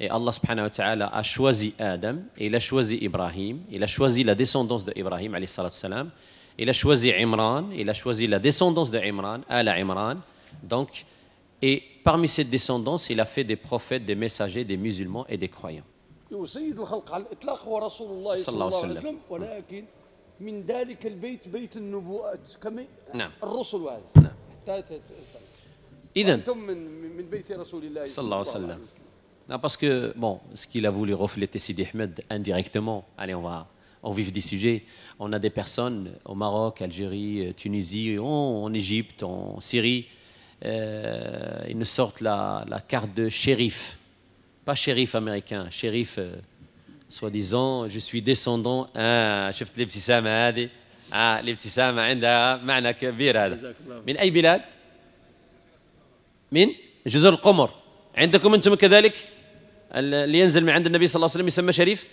Speaker 1: Et الله سبحانه وتعالى a choisi Adam, et il a choisi Ibrahim, il a choisi la descendance de Ibrahim, عليه الصلاة والسلام. Il a choisi Imran, il a choisi la descendance de Imran, آل عمران. Donc, et parmi cette descendance, il a fait des prophètes, des messagers, des musulmans et des croyants.
Speaker 2: وسيد الخلق على الإطلاق هو رسول الله
Speaker 1: صلى
Speaker 2: صلى
Speaker 1: الله
Speaker 2: الله
Speaker 1: عليه
Speaker 2: عليه
Speaker 1: وسلم.
Speaker 2: وسلم، ولكن من ذلك البيت بيت النبوءات كما الرسل وهذا. حتى
Speaker 1: إذن
Speaker 2: أنتم من بيت رسول الله
Speaker 1: صلى الله عليه وسلم. Non, parce que, bon, ce qu'il a voulu refléter Sidi Ahmed indirectement, allez, on va au vif du sujet, on a des personnes au Maroc, Algérie, Tunisie, en Égypte, en Syrie, ils nous sortent la carte de shérif. Pas shérif américain, shérif, soi-disant, je suis descendant. آه شفت الابتسامة هذه؟ آه الابتسامة عندها معنى كبير هذا.
Speaker 2: جزاك الله.
Speaker 1: من أي بلاد؟ من جزر القمر. عندكم أنتم كذلك اللي ينزل من عند النبي صلى الله عليه وسلم يسمى شريف؟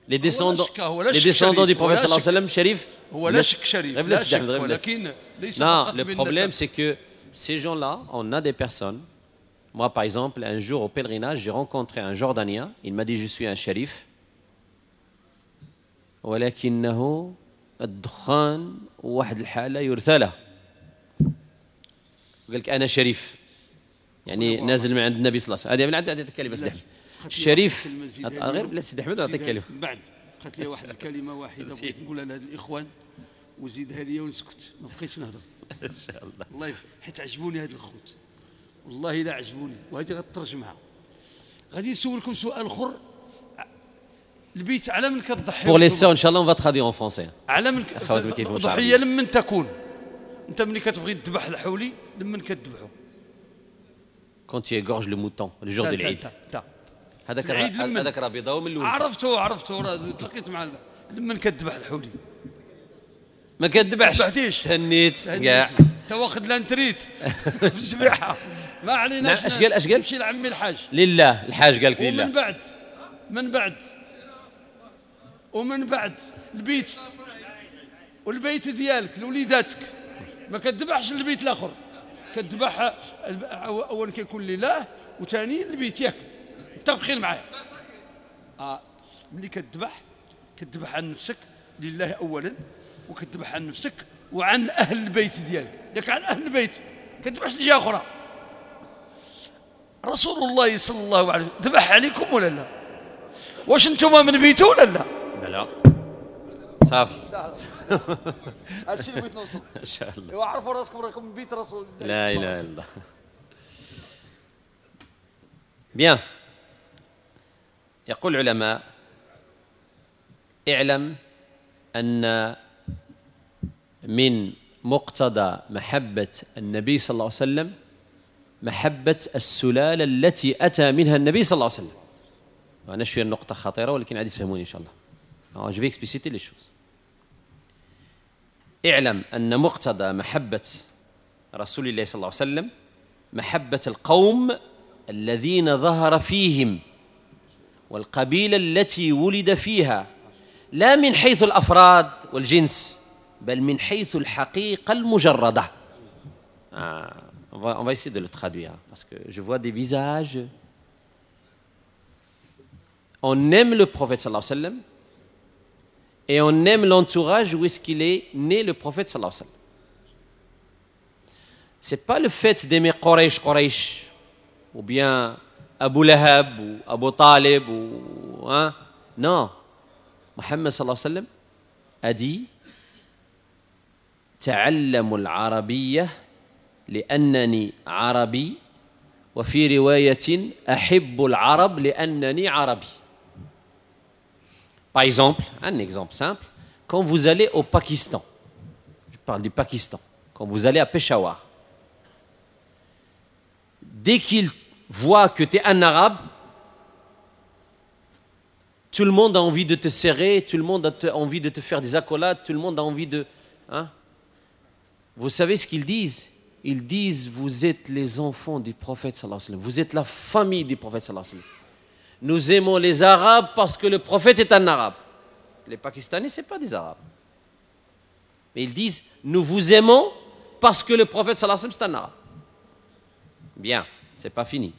Speaker 1: Les descendants,
Speaker 2: شك، هو لا
Speaker 1: les
Speaker 2: شك
Speaker 1: descendants
Speaker 2: شريف،
Speaker 1: du
Speaker 2: هو
Speaker 1: prophète
Speaker 2: لا
Speaker 1: صلى الله عليه
Speaker 2: شك.
Speaker 1: وسلم شريف.
Speaker 2: هو لا شك شريف،
Speaker 1: غير
Speaker 2: لا
Speaker 1: بلا
Speaker 2: شك،
Speaker 1: سيدي أحمد، غير بلا
Speaker 2: ولكن ليس
Speaker 1: Non,
Speaker 2: فقط
Speaker 1: le problème
Speaker 2: بالنسب.
Speaker 1: c'est que ces gens-là, on a des personnes. Moi, par exemple, un jour au pèlerinage, j'ai rencontré un Jordanien. Il m'a dit, je suis un shérif. ولكنه الدخان وواحد الحالة يرثى له. قال لك أنا شريف، يعني
Speaker 2: خويا
Speaker 1: نازل من عند النبي صلى الله عليه وسلم. هذه من عند هذه الكلمة سيدي
Speaker 2: لا،
Speaker 1: أحمد.
Speaker 2: بقات لي
Speaker 1: الشريف
Speaker 2: واحد الكلمة زيدها
Speaker 1: غير
Speaker 2: لي.
Speaker 1: بلا سيدي أحمد نعطيك
Speaker 2: زيدها
Speaker 1: كلمة.
Speaker 2: من بعد بقات لي واحد الكلمة واحدة بغيت نقولها لهاد الإخوان وزيدها لي ونسكت، ما بقيتش نهضر.
Speaker 1: إن شاء الله.
Speaker 2: الله حيت عجبوني هاد الخوت، والله لا عجبوني، وهذه غترجمها. غادي نسولكم سؤال اخر. البيت على من كتضحي؟
Speaker 1: Pour les sœurs, إن شاء الله, on va traduire en français.
Speaker 2: على من
Speaker 1: أخوات ما كيفهموش
Speaker 2: ضحية
Speaker 1: العربية.
Speaker 2: لمن تكون؟ انت ملي كتبغي تذبح الحولي لمن كتذبحو؟
Speaker 1: Quand tu égorges le mouton, le jour de l'Aïd.
Speaker 2: تا
Speaker 1: هذاك
Speaker 2: العيد لمن؟
Speaker 1: هذاك راه بيضاوي من الاول.
Speaker 2: عرفتو راه تلقيت مع لمن كتذبح الحولي؟
Speaker 1: ما كتذبحش.
Speaker 2: ذبحتيش.
Speaker 1: تهنيت كاع.
Speaker 2: انت واخد la retraite الذبيحة. ما عليناش.
Speaker 1: نعم، اش قال؟ اش قال؟
Speaker 2: نمشي لعمي الحاج.
Speaker 1: لله الحاج قال لك لله.
Speaker 2: ومن بعد من بعد ومن بعد البيت والبيت ديالك لوليداتك ما كتذبحش البيت الاخر، كتذبح اولا كيكون لله وثاني البيت، ياك متفقين معايا؟ ملي كتذبح كتذبح عن نفسك لله اولا، وكتذبح عن نفسك وعن اهل البيت ديالك، ياك عن اهل البيت كتذبحش لجهة اخرى. رسول الله صلى الله عليه وسلم ذبح عليكم ولا لا؟ واش انتم من بيته ولا لا؟
Speaker 1: لا صافي.
Speaker 2: هادشي اللي بغيت نوصل.
Speaker 1: ان شاء الله.
Speaker 2: ايوا عرفوا راسكم راكم من بيت رسول الله.
Speaker 1: لا اله الا الله. Bien. يقول العلماء: اعلم أن من مقتضى محبة النبي صلى الله عليه وسلم محبة السلالة التي أتى منها النبي صلى الله عليه وسلم. وأنا شوية النقطة خطيرة ولكن عادي تفهموني إن شاء الله. Je vais expliciter les choses. اعلم أن مقتضى محبة رسول الله صلى الله عليه وسلم محبة القوم الذين ظهر فيهم والقبيلة التي ولد فيها، لا من حيث الأفراد والجنس بل من حيث الحقيقة المجردة. On va essayer de le traduire, parce que je vois des visages. On aime le prophète صلى الله عليه وسلم et on aime l'entourage où est-ce qu'il est né le prophète صلى الله عليه وسلم. C'est pas le fait d'aimer Quraysh, ou bien Abu Lahab, ou Abu Talib, ou, hein? Non. Muhammad صلى الله عليه وسلم a dit تعلموا العربية لأنني عربي وفي رواية أحب العرب لأنني عربي. Par exemple, un exemple simple, quand vous allez au Pakistan, je parle du Pakistan, quand vous allez à Peshawar, dès qu'ils voient que tu es un arabe, tout le monde a envie de te serrer, tout le monde a envie de te faire des accolades, tout le monde a envie de... Hein? Vous savez ce qu'ils disent? Ils disent, vous êtes les enfants du prophète صلى الله عليه وسلم, vous êtes la famille du prophète صلى الله عليه وسلم. Nous aimons les Arabes parce que le prophète est un Arabe. Les Pakistanais, ce n'est pas des Arabes. Mais ils disent, nous vous aimons parce que le prophète صلى الله عليه وسلم, c'est un Arabe. Bien, c'est pas fini.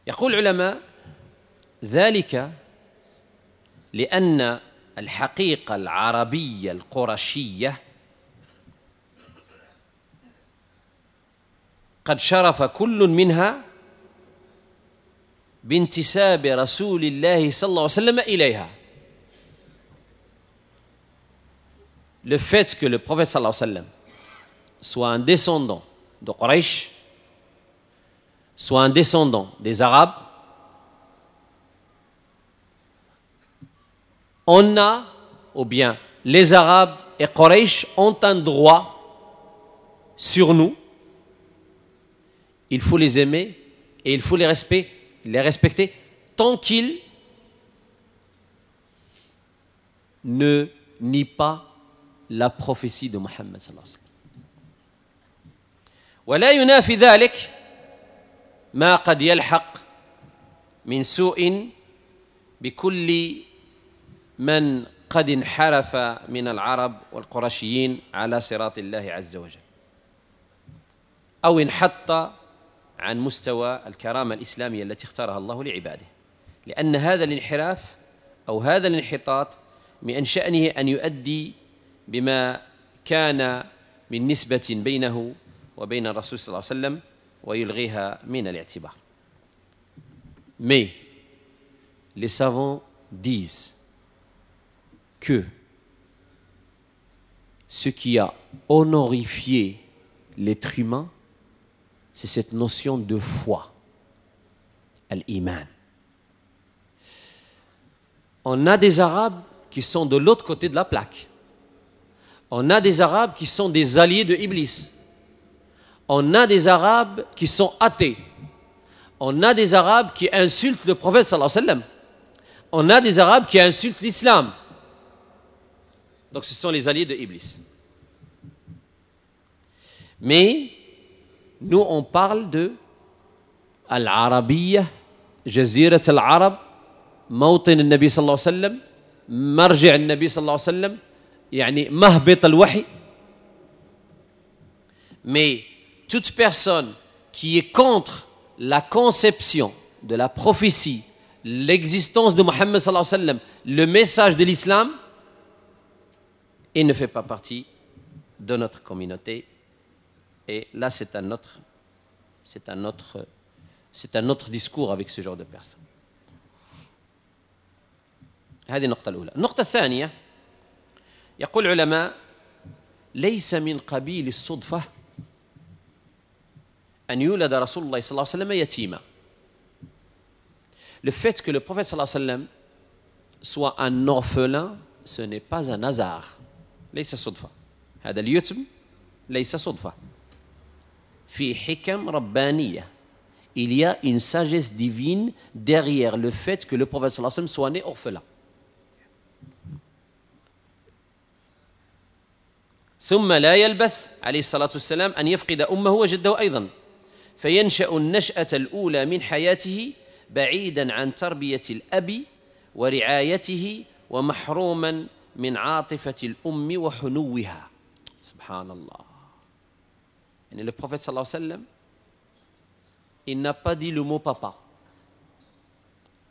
Speaker 1: يقول العلماء ذلك لأن الحقيقة العربية القرشية قد شرف كل منها بانتساب رسول الله صلى الله عليه وسلم إليها. Le fait que le prophète صلى الله عليه وسلم soit un descendant de Quraysh, soit un descendant des Arabes, on a, ou bien les Arabes et Quraysh ont un droit sur nous. Il faut les aimer et il faut les respecter tant qu'ils ne nient pas la prophétie de Muhammad صلى الله عليه وسلم. ولا ينافي ذلك ما قد يلحق من سوء بكل من قد انحرف من العرب والقرشيين على صراط الله عز وجل أو انحط عن مستوى الكرامة الإسلامية التي اختارها الله لعباده، لأن هذا الانحراف أو هذا الانحطاط من شأنه أن يؤدي بما كان من نسبة بينه وبين الرسول صلى الله عليه وسلم ويلغيها من الاعتبار. Mais les savants disent que ce qui a honorifié l'être humain, c'est cette notion de foi, الإيمان. On a des Arabes qui sont de l'autre côté de la plaque. On a des Arabes qui sont des alliés de Iblis. On a des Arabes qui sont athées. On a des Arabes qui insultent le prophète صلى الله عليه وسلم. On a des Arabes qui insultent l'islam. Donc ce sont les alliés de Iblis. Mais nous on parle de العربية, جزيرة العرب, موطن النبي صلى الله عليه وسلم, مرجع النبي صلى الله عليه وسلم, يعني مهبط الوحي. Mais toute personne qui est contre la conception de la prophétie, l'existence de Muhammad صلى الله عليه وسلم, le message de l'islam, il ne fait pas partie de notre communauté. Et là, c'est un autre discours avec ce genre de personnes. هذه النقطة الأولى. النقطة الثانية، يقول العلماء ليس من قبيل الصدفة أن يولد رسول الله صلى الله عليه وسلم يتيما. Le fait que le prophète صلى الله عليه وسلم soit un orphelin, ce n'est pas un hasard. ليس صدفة. هذا اليتم ليس صدفة. في حكم ربانية. Il y a une sagesse divine derrière le fait que le prophète صلى الله عليه وسلم soit né orphelin. ثم لا يلبث عليه الصلاة والسلام أن يفقد أمه وجده أيضا، فينشأ النشأة الأولى من حياته بعيدا عن تربية الأب ورعايته ومحروما من عاطفة الأم وحنوها. سبحان الله. يعني le prophète صلى الله عليه وسلم, il n'a pas dit le mot papa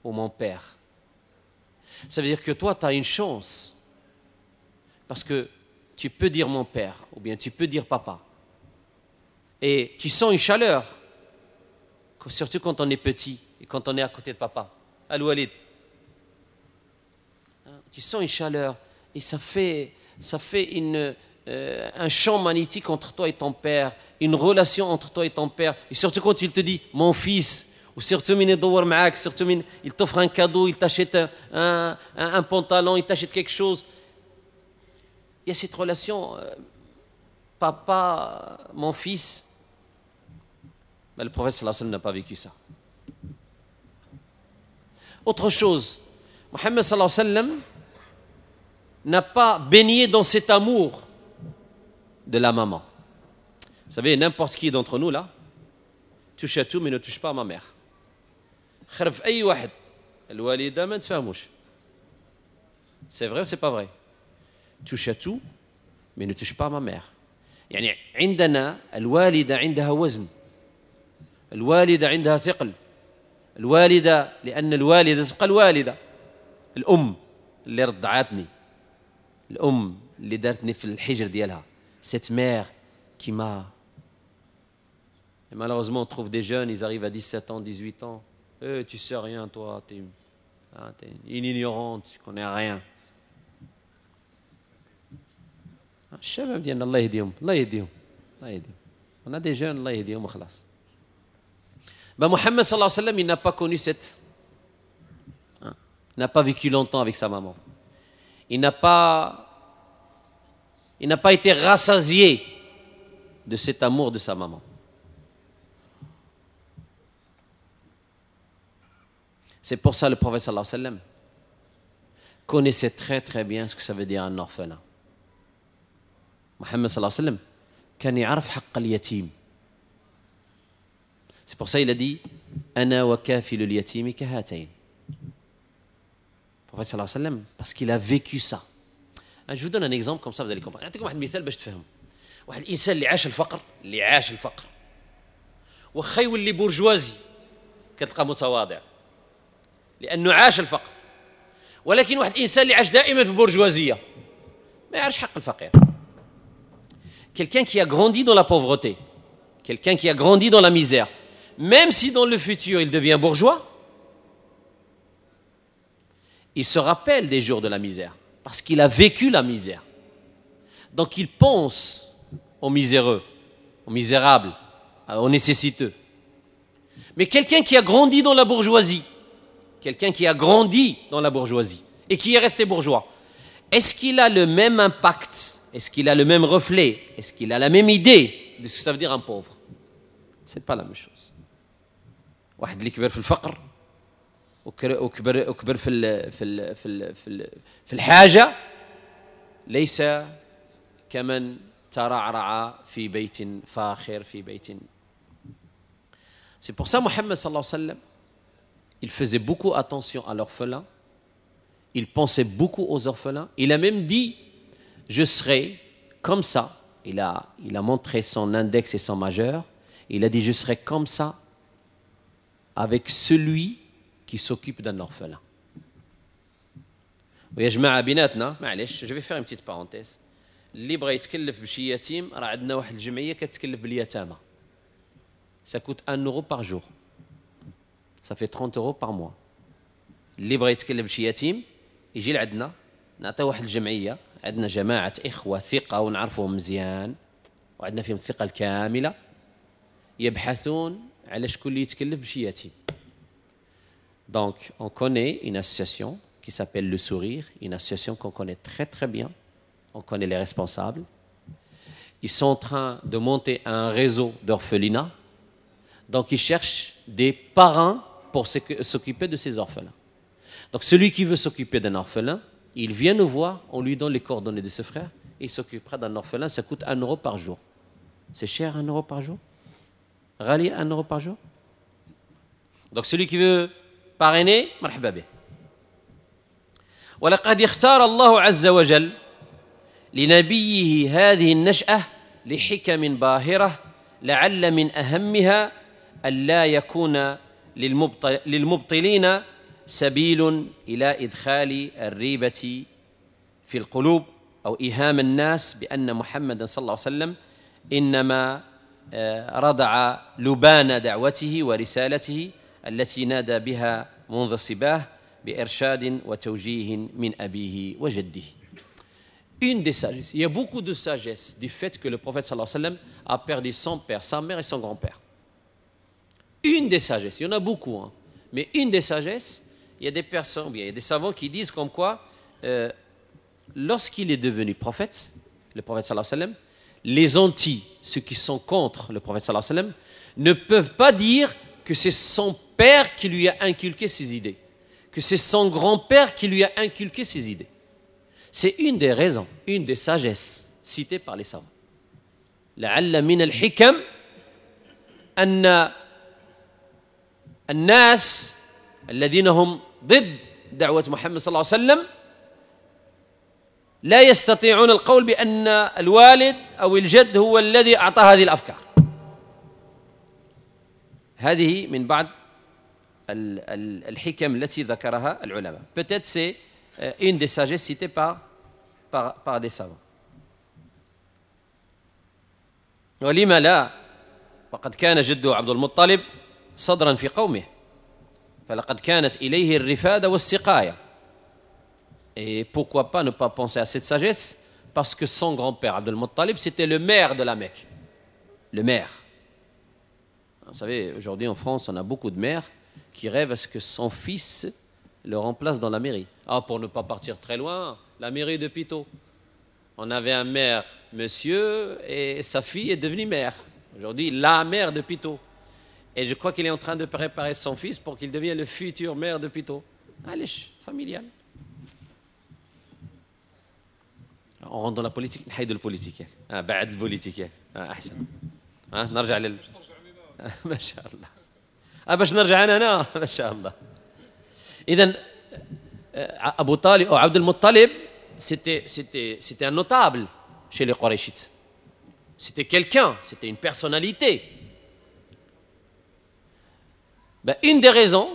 Speaker 1: ou mon père. Ça veut dire que toi, tu as une chance, parce que tu peux dire mon père ou bien tu peux dire papa. Et tu sens une chaleur, surtout quand on est petit et quand on est à côté de papa. الوالد. Tu sens une chaleur et ça fait un champ magnétique entre toi et ton père, une relation entre toi et ton père. Et surtout quand il te dit mon fils, ou surtout من يدور معاك, surtout من il t'offre un cadeau, il t'achète un pantalon, il t'achète quelque chose. Il y a cette relation, papa, mon fils. Mais le prophète صلى الله عليه وسلم n'a pas vécu ça. Autre chose, محمد صلى الله عليه وسلم n'a pas baigné dans cet amour de la maman. Vous savez, n'importe qui d'entre nous là, touche à tout mais ne touche pas à ma mère. خرب أي واحد الوالدة ما نتفاهموش. C'est vrai ou c'est pas vrai? Touche à tout mais ne touche pas à ma mère. يعني عندنا الوالدة عندها وزن، الوالدة عندها ثقل، الوالدة، لأن الوالدة تبقى الوالدة، الأم اللي رضعتني، الأم اللي دارتني في الحجر ديالها, cette mère qui m'a. Et malheureusement, on trouve des jeunes, ils arrivent à 17 ans, 18 ans. Eh, tu sais rien, toi, tu es, hein, une ignorante, tu connais rien. الشباب ديالنا الله يهديهم، الله يهديهم، الله يهديهم. On a des jeunes, الله يهديهم وخلاص. Ben, محمد صلى الله عليه وسلم, il n'a pas connu cette, hein, n'a pas vécu longtemps avec sa maman. Il n'a pas été rassasié de cet amour de sa maman. C'est pour ça le prophète صلى الله عليه وسلم connaissait très très bien ce que ça veut dire un orphelin. محمد صلى الله عليه وسلم كان يعرف حق اليتيم. C'est pour ça qu'il a dit أنا وكافل اليتيم كهاتين. Le prophète صلى الله عليه وسلم, parce qu'il a vécu ça. Je vous donne un exemple, comme ça vous allez comprendre. نعطيكم واحد المثال باش تفهموا. واحد الانسان اللي عاش الفقر، اللي عاش الفقر، واخا يولي برجوازي كتلقى متواضع لانه عاش الفقر. ولكن واحد الانسان اللي عاش دائما في البرجوازيه ما يعرفش حق الفقير. Quelqu'un qui a grandi dans la pauvreté, quelqu'un qui a grandi dans la misère, même si dans le futur il devient bourgeois, il se rappelle des jours de la misère, parce qu'il a vécu la misère. Donc il pense aux miséreux, aux misérables, aux nécessiteux. Mais quelqu'un qui a grandi dans la bourgeoisie, quelqu'un qui a grandi dans la bourgeoisie et qui est resté bourgeois, est-ce qu'il a le même impact? Est-ce qu'il a le même reflet? Est-ce qu'il a la même idée de ce que ça veut dire un pauvre? C'est pas la même chose. واحد اللي كبر في الفقر وكبر في الحاجة ليس كمن ترعرع في بيت فاخر، في بيت. C'est pour ça محمد صلى الله عليه وسلم, il faisait beaucoup attention à l'orphelin, il pensait beaucoup aux orphelins. Il a même dit: je serai comme ça. Il a montré son index et son majeur. Il a dit: je serai comme ça avec celui qui s'occupe d'un orphelin. ويا جماعة بيناتنا، معليش, je vais faire une petite parenthèse. اللي بغى يتكلف بشي يتيم، راه عندنا واحد الجمعية كتكلف باليتامى. Ça coûte 1 euro par jour. Ça fait 30 euros par mois. اللي بغى يتكلف بشي يتيم يجي لعندنا، نعطيه واحد الجمعية. عندنا جماعة إخوة ثقة ونعرفهم مزيان وعندنا فيهم الثقة الكاملة، يبحثون على شكون اللي يتكلف بشي يتيم. Donc, on connaît une association qui s'appelle Le Sourire, une association qu'on connaît très très bien. On connaît les responsables. Ils sont en train de monter un réseau d'orphelinats. Donc, ils cherchent des parrains pour s'occuper de ces orphelins. Donc, celui qui veut s'occuper d'un orphelin, il vient nous voir, on lui donne les coordonnées de ce frère, et il s'occupera d'un orphelin. Ça coûte 1 euro par jour. C'est cher, 1 euro par jour? غالي, 1 euro par jour. Donc, celui qui veut parrainer, مرحبا به. ولقد اختار الله عز وجل لنبيه هذه النشأة لحكم باهرة، لعل من أهمها ألا يكون للمبطلين سبيل إلى إدخال الريبة في القلوب أو إيهام الناس بأن محمد صلى الله عليه وسلم إنما رضع لبان دعوته ورسالته التي نادى بها منذ صباه بإرشاد وتوجيه من أبيه وجده. Une des sagesses, il y a beaucoup de sagesse du fait que le prophète صلى الله عليه وسلم a perdu son père, sa mère et son grand-père. Une des sagesses, il y en a beaucoup, hein, mais une des sagesses, il y a des personnes, il y a des savants qui disent comme quoi, lorsqu'il est devenu prophète, le prophète صلى الله عليه وسلم, les anti, ceux qui sont contre le prophète صلى الله عليه وسلم, ne peuvent pas dire que c'est son père qui lui a inculqué ses idées, que c'est son grand-père qui lui a inculqué ses idées. C'est une des raisons, une des sagesses citées par les savants. لعل من الحكم أن الناس الذين هم ضد دعوة محمد صلى الله عليه وسلم لا يستطيعون القول بأن الوالد أو الجد هو الذي أعطى هذه الأفكار. هذه من بعض الحكم التي ذكرها العلماء. Peut-être c'est une des sagesses citées par des savants. ولما لا، وقد كان جده عبد المطلب صدرا في قومه، فلقد كانت إليه الرفادة والسقاية. Et pourquoi pas ne pas penser à cette sagesse? Parce que son grand-père Abdul Muttalib, c'était le maire de la Mecque. Le maire. Vous savez, aujourd'hui en France, on a beaucoup de maires qui rêvent à ce que son fils le remplace dans la mairie. Ah, pour ne pas partir très loin, la mairie de Puteaux. On avait un maire, monsieur, et sa fille est devenue maire. Aujourd'hui, la maire de Puteaux. Et je crois qu'il est en train de préparer son fils pour qu'il devienne le futur maire de Puteaux. Allez, familial. On rentre dans la politique, نحيدوا ال politique. بعد ال politique احسن. نرجع لل ما شاء الله. باش نرجع انا هنا ما شاء الله. اذا ابو طالب او عبد المطلب c'était un notable chez les Qurayshites. C'était quelqu'un, c'était une personnalité. Ben, une des raisons,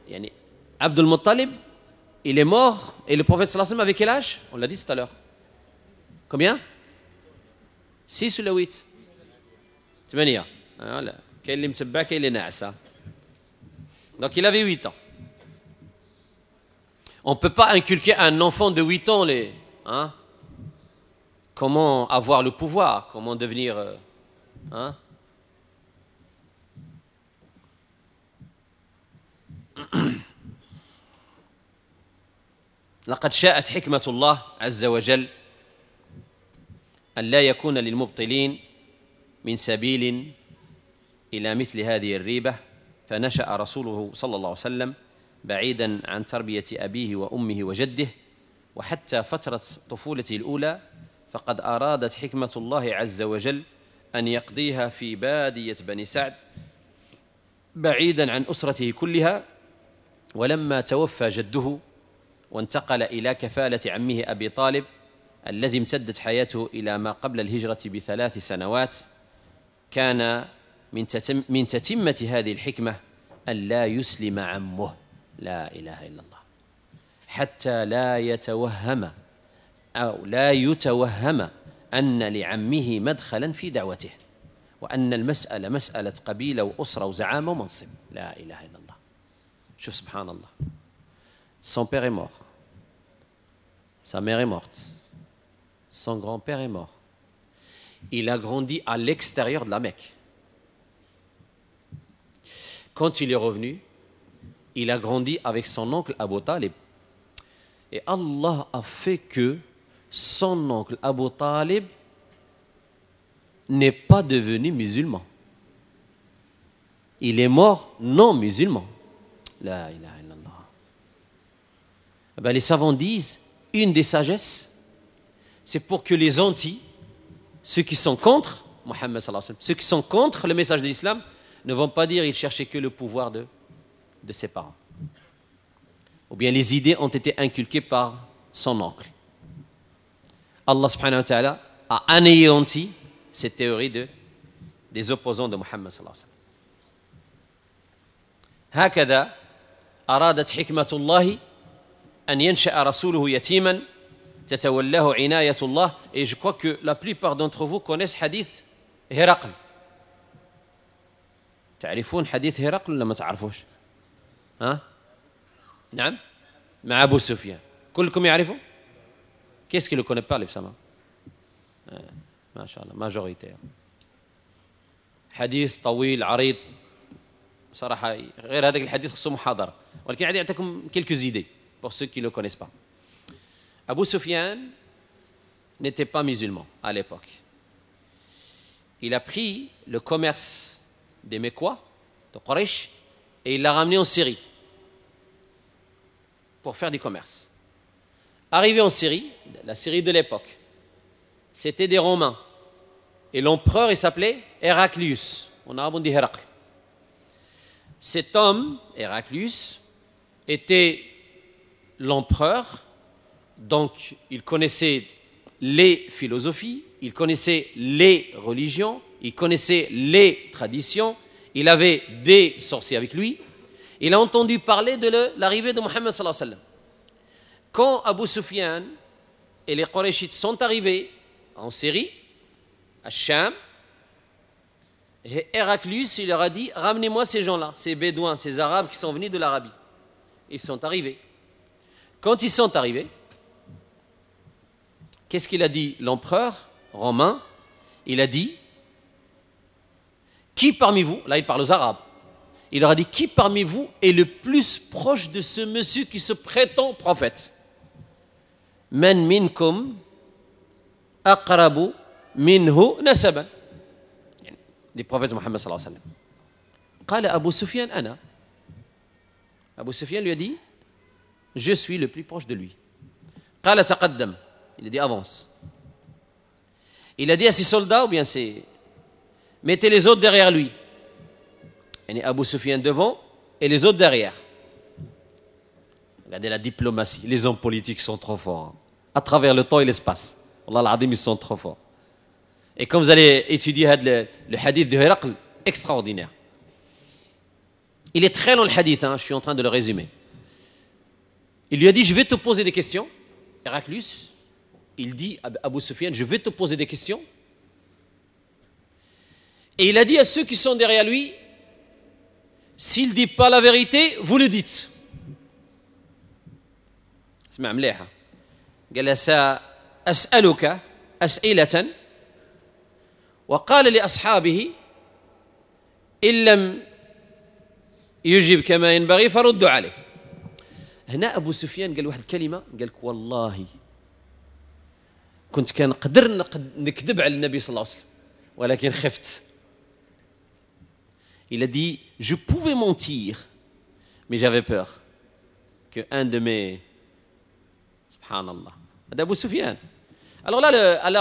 Speaker 1: يعني Abdul Muttalib, il est mort et le prophète صلى الله عليه وسلم avait quel âge? On l'a dit tout à l'heure. Combien? 6 ولا 8؟ 8. Voilà. كاين اللي متبع كاين اللي ناعس. Donc il avait 8 ans. On ne peut pas inculquer à un enfant de 8 ans les, hein, comment avoir le pouvoir, comment devenir, hein. لقد شاءت حكمة الله عز وجل أن لا يكون للمبطلين من سبيل إلى مثل هذه الريبة، فنشأ رسوله صلى الله عليه وسلم بعيدا عن تربية أبيه وأمه وجده، وحتى فترة طفولته الأولى فقد أرادت حكمة الله عز وجل أن يقضيها في بادية بني سعد بعيدا عن أسرته كلها. ولما توفى جده وانتقل إلى كفالة عمه أبي طالب الذي امتدت حياته إلى ما قبل الهجرة ب3 سنوات، كان من تتمة هذه الحكمة أن لا يسلم عمه، لا إله إلا الله، حتى لا يتوهم أو لا يتوهم أن لعمه مدخلا في دعوته، وأن المسألة مسألة قبيلة وأسرة وزعامة ومنصب. لا إله إلا الله. شوف سبحان الله، son père est mort, sa mère est morte, son grand-père est mort. Il a grandi à l'extérieur de la Mecque. Quand il est revenu, il a grandi avec son oncle Abu Talib. Et Allah a fait que son oncle Abu Talib n'est pas devenu musulman. Il est mort non musulman. لا إله إلا الله. Ben, les savants disent, une des sagesses, c'est pour que les anti, ceux qui sont contre Mohammed صلى الله عليه وسلم, ceux qui sont contre le message de l'islam, ne vont pas dire qu'il cherchait que le pouvoir de ses parents. Ou bien les idées ont été inculquées par son oncle. الله سبحانه وتعالى a anéanti cette théorie des opposants de محمد صلى الله عليه وسلم. هكذا أرادت حكمة الله أن ينشأ رسوله يتيما تتولاه عناية الله. Et je crois que la plupart d'entre vous connaissent حديث هرقل. تعرفون حديث هرقل ولا ما تعرفوش؟ ها؟ نعم، مع أبو سفيان. كلكم يعرفوا؟ Qu'est-ce qui ne le connaît pas, les؟ ما شاء الله، majorité. حديث طويل عريض صراحة، غير هذاك الحديث خصو محاضرة، ولكن غادي نعطيكم quelques idées pour ceux qui ne le connaissent pas. Abu Sufyan n'était pas musulman à l'époque. Il a pris le commerce des Mecquois, de Quraysh, et il l'a ramené en Syrie pour faire du commerce. Arrivé en Syrie, la Syrie de l'époque, c'était des Romains. Et l'empereur, il s'appelait Héraclius. En arabe, on dit هرقل. Cet homme, Héraclius, était l'empereur, donc il connaissait les philosophies, il connaissait les religions, il connaissait les traditions, il avait des sorciers avec lui. Il a entendu parler de l'arrivée de محمد صلى الله عليه وسلم. Quand Abu Sufyan et les Qurayshites sont arrivés en Syrie, à الشام, Héraclius, il leur a dit: «Ramenez-moi ces gens-là, ces Bédouins, ces Arabes qui sont venus de l'Arabie.» Ils sont arrivés. Quand ils sont arrivés, qu'est-ce qu'il a dit, l'empereur romain? Il a dit: «Qui parmi vous», là il parle aux Arabes, il leur a dit: «Qui parmi vous est le plus proche de ce monsieur qui se prétend prophète?» من منكم أقرب منه نسبا، يعني du prophète محمد صلى الله عليه وسلم. قال أبو سفيان أنا. Abu Sufyan lui a dit: «Je suis le plus proche de lui.» قال تقدم. Il a dit: «Avance.» Il a dit à ses soldats ou bien ses: «Mettez les autres derrière lui.» يعني Abu Sufyan devant et les autres derrière. Regardez la diplomatie. Les hommes politiques sont trop forts, hein. À travers le temps et l'espace. والله العظيم, ils sont trop forts. Et quand vous allez étudier هاد le hadith de هرقل, extraordinaire. Il est très long, le hadith, hein, je suis en train de le résumer. Il lui a dit: «Je vais te poser des questions.» Héraclius, il dit à Abu Sufyan: «Je vais te poser des questions.» Et il a dit à ceux qui sont derrière lui: «S'il ne dit pas la vérité, vous le dites.» اسمع مليحة. قال له: سأسألك أسئلة. وقال لأصحابه: إن لم يجب كما ينبغي فردوا عليه. هنا أبو سفيان قال واحد الكلمة، قال لك: والله كنت كنقدر نكذب على النبي صلى الله عليه وسلم ولكن خفت. Il a dit: «Je pouvais mentir, mais j'avais peur que un de mes...» سبحان الله. هذا أبو سفيان. Alors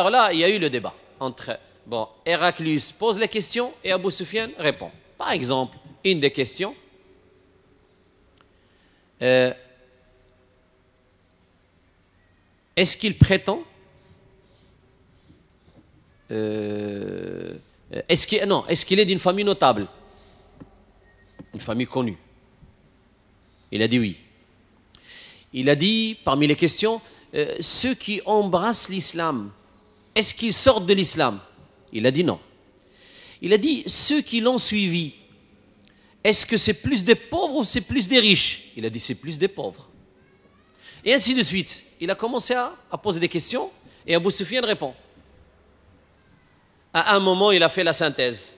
Speaker 1: là, il y a eu le débat entre, bon, Héraclius pose les questions et Abu Sufyan répond. Par exemple, une des questions, est-ce qu'il prétend est-ce qu'il, non, est-ce qu'il est d'une famille notable, une famille connue? Il a dit oui. Il a dit, parmi les questions, ceux qui embrassent l'islam, est-ce qu'ils sortent de l'islam? Il a dit non. Il a dit: ceux qui l'ont suivi, est-ce que c'est plus des pauvres ou c'est plus des riches? Il a dit: c'est plus des pauvres. Et ainsi de suite. Il a commencé à poser des questions et Abu Sufyan répond. À un moment, il a fait la synthèse.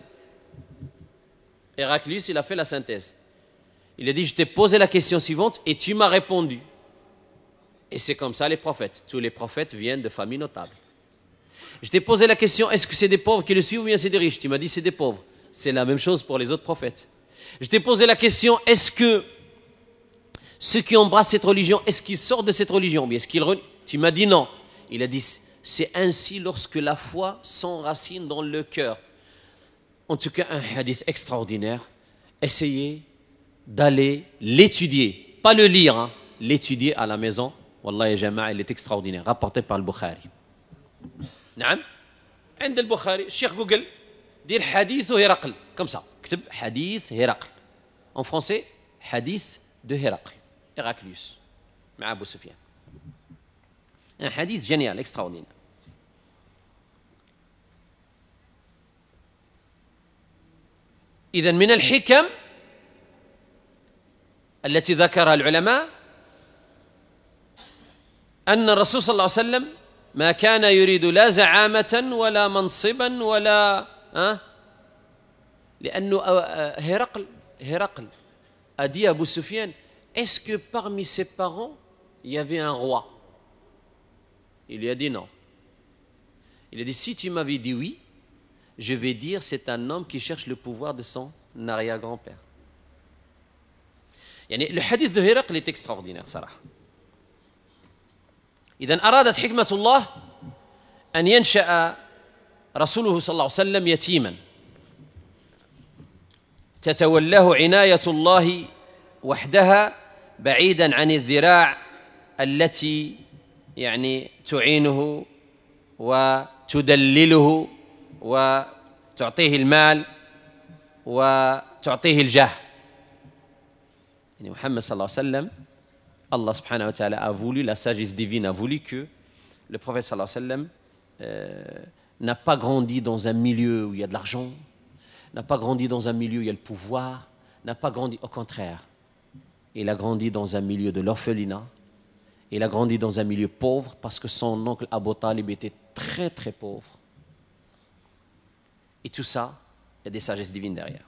Speaker 1: Héraclius, il a fait la synthèse. Il a dit: «Je t'ai posé la question suivante et tu m'as répondu. Et c'est comme ça les prophètes. Tous les prophètes viennent de familles notables. Je t'ai posé la question: est-ce que c'est des pauvres qui le suivent ou bien c'est des riches? Tu m'as dit: c'est des pauvres. C'est la même chose pour les autres prophètes. Je t'ai posé la question: est-ce que ceux qui embrassent cette religion, est-ce qu'ils sortent de cette religion? Bien, est-ce qu'ils Tu m'as dit non.» Il a dit: «C'est ainsi lorsque la foi s'enracine dans le cœur.» En tout cas, un hadith extraordinaire. Essayez d'aller l'étudier, pas le lire, hein. l'étudier à la maison. والله يا جماعة il est extraordinaire, rapporté par البخاري. نعم، عند البخاري. الشيخ جوجل دير حديث هرقل comme ça، كتب حديث هرقل en français، حديث de هرقل، Héraclius مع ابو سفيان. Un hadith génial, extraordinaire. إذا من الحكم التي ذكرها العلماء أن الرسول صلى الله عليه وسلم ما كان يريد لا زعامة ولا منصبا ولا لأنه هرقل a dit à Abu Sufyan, est-ce que parmi ses parents il y avait un roi? Il lui a dit non. Il a dit, si tu m'avais dit oui, je vais dire c'est un homme qui cherche le pouvoir de son arrière-grand-père. يعني le hadith de هرقل est extraordinaire صراحة. إذن أرادت حكمة الله أن ينشأ رسوله صلى الله عليه وسلم يتيما تتولاه عناية الله وحدها، بعيدا عن الذراع التي يعني تعينه وتدلله وتعطيه المال وتعطيه الجاه. يعني محمد صلى الله عليه وسلم، الله سبحانه وتعالى a voulu, la sagesse divine a voulu que le prophète صلى الله عليه وسلم n'a pas grandi dans un milieu où il y a de l'argent, n'a pas grandi dans un milieu où il y a le pouvoir, n'a pas grandi, au contraire, il a grandi dans un milieu de l'orphelinat, il a grandi dans un milieu pauvre parce que son oncle Abu Talib était très très pauvre. Et tout ça, il y a des sagesses divines derrière.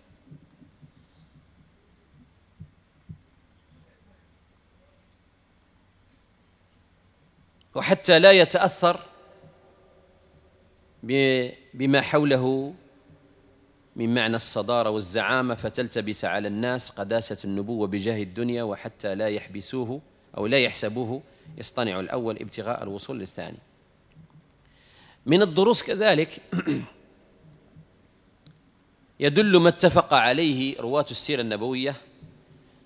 Speaker 1: وحتى لا يتأثر بما حوله من معنى الصدارة والزعامة، فتلتبس على الناس قداسة النبوة بجاه الدنيا، وحتى لا يحبسوه أو لا يحسبوه يصطنع الأول ابتغاء الوصول للثاني. من الدروس كذلك يدل ما اتفق عليه رواة السيرة النبوية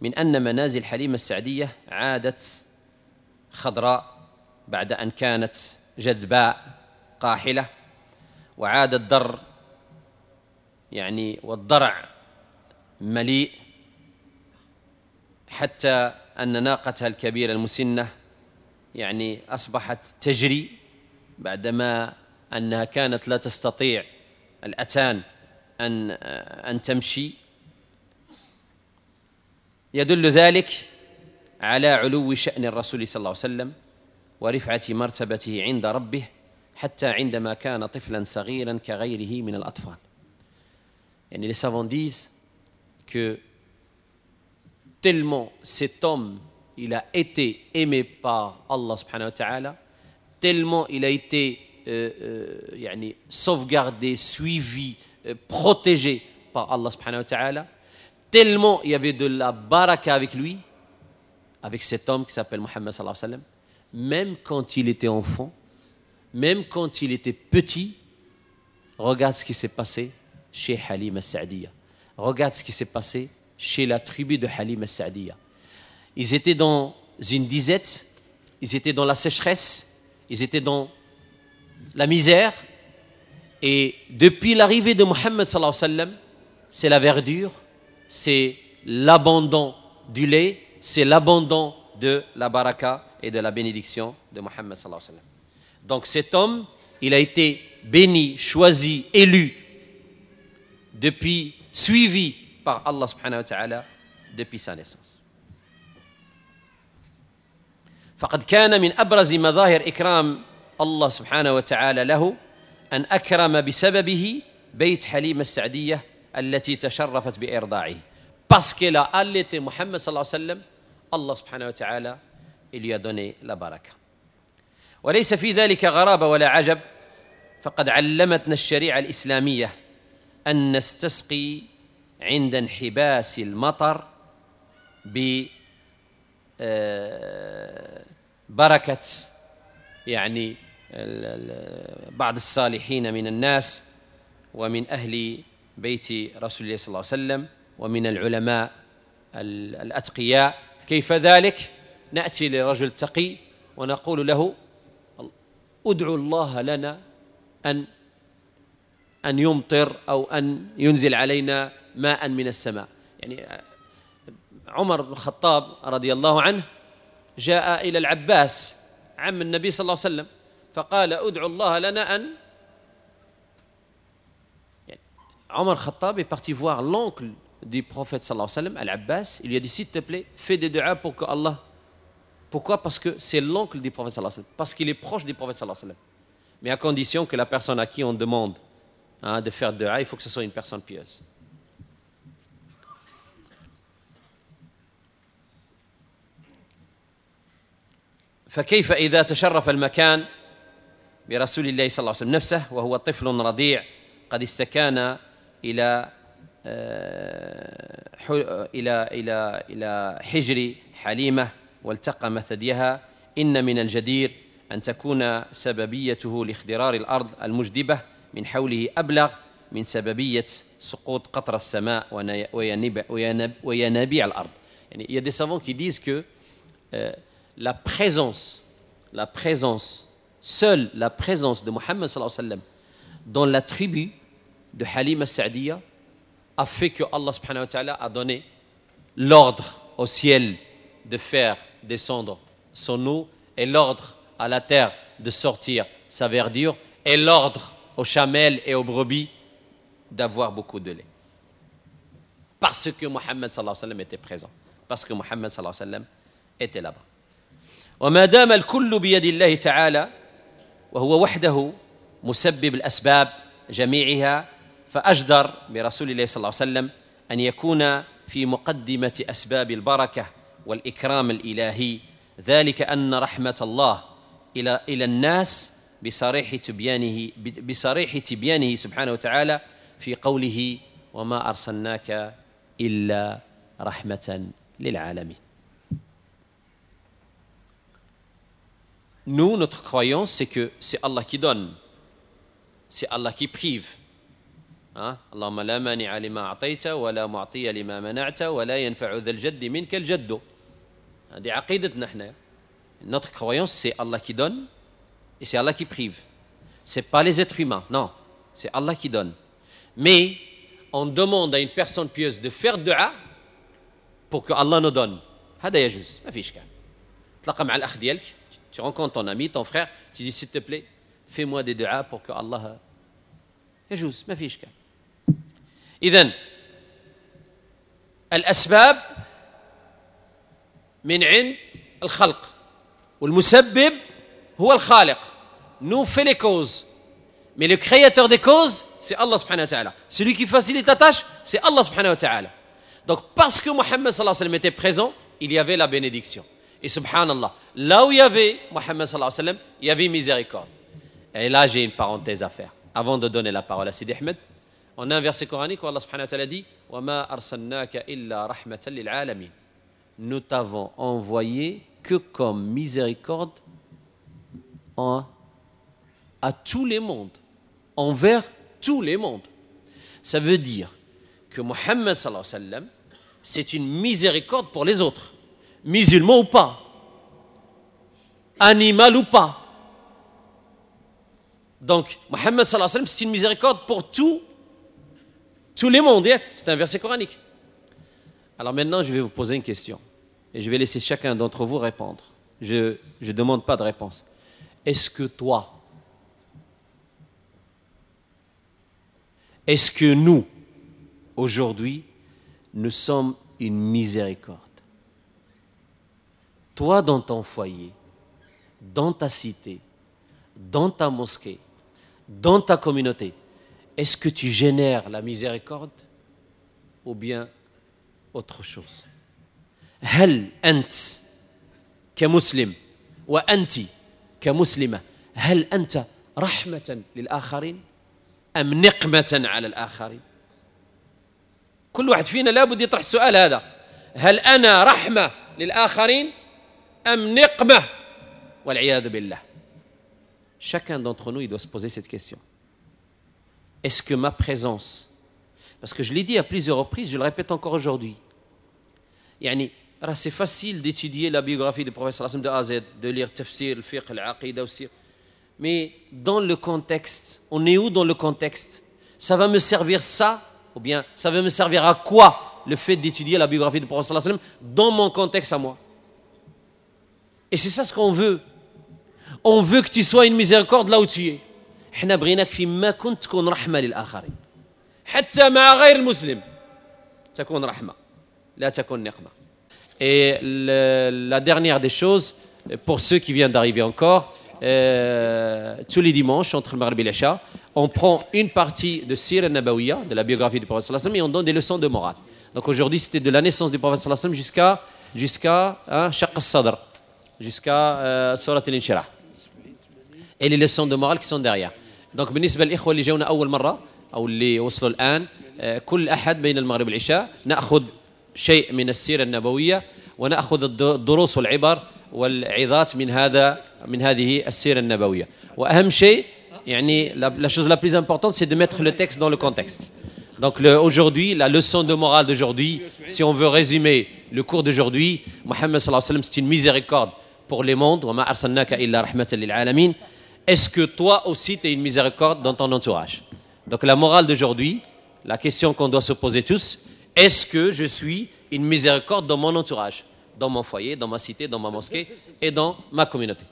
Speaker 1: من أن منازل حليمة السعدية عادت خضراء بعد أن كانت جدباء قاحلة، وعاد الدر يعني والضرع مليء، حتى أن ناقتها الكبيرة المسنة يعني أصبحت تجري بعدما أنها كانت لا تستطيع الأتان أن تمشي. يدل ذلك على علو شأن الرسول صلى الله عليه وسلم ورفعة مرتبته عند ربه، حتى عندما كان طفلا صغيرا كغيره من الأطفال. يعني les savants disent que tellement cet homme il a été aimé par Allah سبحانه وتعالى, tellement il a été يعني sauvegardé, suivi, protégé par Allah سبحانه وتعالى, tellement il y avait de la baraka avec lui, avec cet homme qui s'appelle Muhammad صلى الله عليه وسلم, même quand il était enfant, même quand il était petit. Regarde ce qui s'est passé chez Halima Sa'diya. Regarde ce qui s'est passé chez la tribu de Halima Sa'diya. Ils étaient dans une disette, ils étaient dans la sécheresse, ils étaient dans la misère. Et depuis l'arrivée de Muhammad صلى الله عليه وسلم, c'est la verdure, c'est l'abandon du lait, c'est l'abandon de la baraka et de la bénédiction de Muhammad صلى الله عليه وسلم. Donc cet homme, il a été béni, choisi, élu, depuis, suivi par Allah سبحانه وتعالى depuis sa naissance. فقد كان من أبرز مظاهر إكرام الله سبحانه وتعالى له أن أكرم بسببه بيت حليمة السعدية التي تشرفت بإرضاعه. Parce qu'elle a allaité Muhammad صلى الله عليه وسلم, Allah سبحانه وتعالى il lui a donné la baraka. وليس في ذلك غرابة ولا عجب، فقد علمتنا الشريعة الإسلامية أن نستسقي عند انحباس المطر ببركة يعني بعض الصالحين من الناس ومن أهل بيت رسول الله صلى الله عليه وسلم ومن العلماء الأتقياء. كيف ذلك؟ نأتي لرجل تقي ونقول له ادعو الله لنا أن يمطر أو أن ينزل علينا ماء من السماء. يعني عمر بن الخطاب رضي الله عنه جاء إلى العباس عم النبي صلى الله عليه وسلم فقال ادعو الله لنا أن، يعني عمر الخطاب est parti voir l'oncle du prophète صلى الله عليه وسلم, Al-Abbas. Il lui a dit s'il te plaît, fais des duas pour que Allah. Pourquoi? Parce que c'est l'oncle du prophète صلى الله عليه وسلم, parce qu'il est proche du prophète صلى الله عليه وسلم. Mais à condition que la personne à qui on demande, hein, de faire dua, il faut que ce soit une personne pieuse. فكيف إذا تشرف المكان برسول الله صلى الله عليه وسلم نفسه وهو طفل رضيع قد استكان إلى إلى إلى إلى حجر حليمة والتقم ثديها. إن من الجدير أن تكون سببيته لاخضرار الأرض المجدبة من حوله أبلغ من سببية سقوط قطر السماء وينابيع الأرض. يعني il y a des savants qui disent que la présence, seule la présence de Mohammed صلى الله عليه وسلم dans la tribu de Halima Sa'diya a fait que Allah سبحانه وتعالى a donné l'ordre au ciel de faire descendre son eau et l'ordre à la terre de sortir sa verdure et l'ordre aux chamelles et aux brebis d'avoir beaucoup de lait. Parce que Mohammed صلى الله عليه وسلم était présent. Parce que Mohammed صلى الله عليه وسلم était là-bas. وما دام الكل بيد الله تعالى وهو وحده مسبب الأسباب جميعها فأجدر برسول الله صلى الله عليه وسلم أن يكون في مقدمة أسباب البركة والإكرام الإلهي، ذلك أن رحمة الله إلى الناس بصريح تبيانه سبحانه وتعالى في قوله وما أرسلناك إلا رحمة للعالمين. Nous, notre croyance, c'est que c'est Allah qui donne, c'est Allah qui prive. Hein? اللهم لا مانع لما أعطيت ولا معطي لما منعت ولا ينفع ذا الجد منك الجد. هذه عقيدتنا احنا. Notre croyance, c'est Allah qui donne et c'est Allah qui prive. C'est pas les êtres humains, non, c'est Allah qui donne. Mais on demande à une personne pieuse de faire dua pour que Allah nous donne. هذا يجوز, ما فيش إشكال. تلقى مع الأخ ديالك, tu rencontres ton ami, ton frère, tu dis s'il te plaît, fais-moi des duas pour que Allah يجوز, ما فيش إشكال. إذن الأسباب من عند الخلق والمسبب هو الخالق. Nous fait les causes, mais le créateur des causes, c'est Allah سبحانه وتعالى. Celui qui facilite la tâche, c'est Allah سبحانه وتعالى. Donc parce que Mohammed صلى الله عليه وسلم était présent, il y avait la bénédiction. Et سبحان الله, là où il y avait Mohammed صلى الله عليه وسلم, il y avait miséricorde. Et là, j'ai une parenthèse à faire. Avant de donner la parole à Sidi Ahmed, on a un verset coranique où Allah سبحانه وتعالى dit وَمَا أَرْسَلْنَاكَ إِلَّا رَحْمَةً لِلْعَالَمِينَ. Nous t'avons envoyé que comme miséricorde à tous les mondes, envers tous les mondes. Ça veut dire que Mohammed صلى الله عليه وسلم, c'est une miséricorde pour les autres, musulmans ou pas, animal ou pas. Donc, Mohammed صلى الله عليه وسلم, c'est une miséricorde pour tous les mondes. C'est un verset coranique. Alors maintenant, je vais vous poser une question. Et je vais laisser chacun d'entre vous répondre. Je ne demande pas de réponse. Est-ce que toi, est-ce que nous, aujourd'hui, nous sommes une miséricorde? Toi, dans ton foyer, dans ta cité, dans ta mosquée, dans ta communauté, est-ce que tu génères la miséricorde ou bien autre chose? هل أنت كمسلم وأنت كمسلمة هل أنت رحمة للآخرين أم نقمة على الآخرين؟ كل واحد فينا لابد يطرح السؤال هذا، هل أنا رحمة للآخرين أم نقمة؟ والعياذ بالله. Chacun d'entre nous, il doit se poser cette question. Est-ce que ma présence, parce que je l'ai dit à plusieurs reprises, je le répète encore aujourd'hui, يعني راه c'est facile d'étudier la biographie du prophète صلى الله عليه وسلم de A à Z, de lire تفسير, الفقه, العقيدة والسيرة. Mais dans le contexte, on est où dans le contexte? Ça va me servir, ça? Ou bien ça va me servir à quoi, le fait d'étudier la biographie du prophète صلى الله عليه وسلم dans mon contexte à moi? Et c'est ça ce qu'on veut. On veut que tu sois une miséricorde là où tu es. احنا بغيناك فيما كنت تكون رحمة للآخرين، حتى مع غير المسلم تكون رحمة، لا تكون نقمة. Et la dernière des choses, pour ceux qui viennent d'arriver encore, tous les dimanches, entre المغرب et العشاء, on prend une partie de السيرة النبوية, de la biographie du prophète صلى الله عليه وسلم, et on donne des leçons de morale. Donc aujourd'hui, c'était de la naissance du prophète صلى الله عليه وسلم jusqu'à hein, شق الصدر, jusqu'à سورة الانشراح. Et les leçons de morale qui sont derrière. Donc بالنسبة للإخوة اللي جونا أول مرة أو اللي وصلوا الآن، كل أحد بين المغرب والعشاء نأخذ شيء من السيرة النبوية ونأخذ الدروس والعبر والعظات من هذه السيرة النبوية. وأهم شيء، يعني la chose la plus importante, c'est de mettre le texte dans le contexte. Donc aujourd'hui, la leçon de morale d'aujourd'hui, si on veut résumer le cours d'aujourd'hui, محمد صلى الله عليه وسلم, c'est une miséricorde pour les mondes. وما أرسلناك إلا رحمة للعالمين. Est-ce que toi aussi tu es une miséricorde dans ton entourage? Donc la morale d'aujourd'hui, la question qu'on doit se poser tous: est-ce que je suis une miséricorde dans mon entourage, dans mon foyer, dans ma cité, dans ma mosquée et dans ma communauté?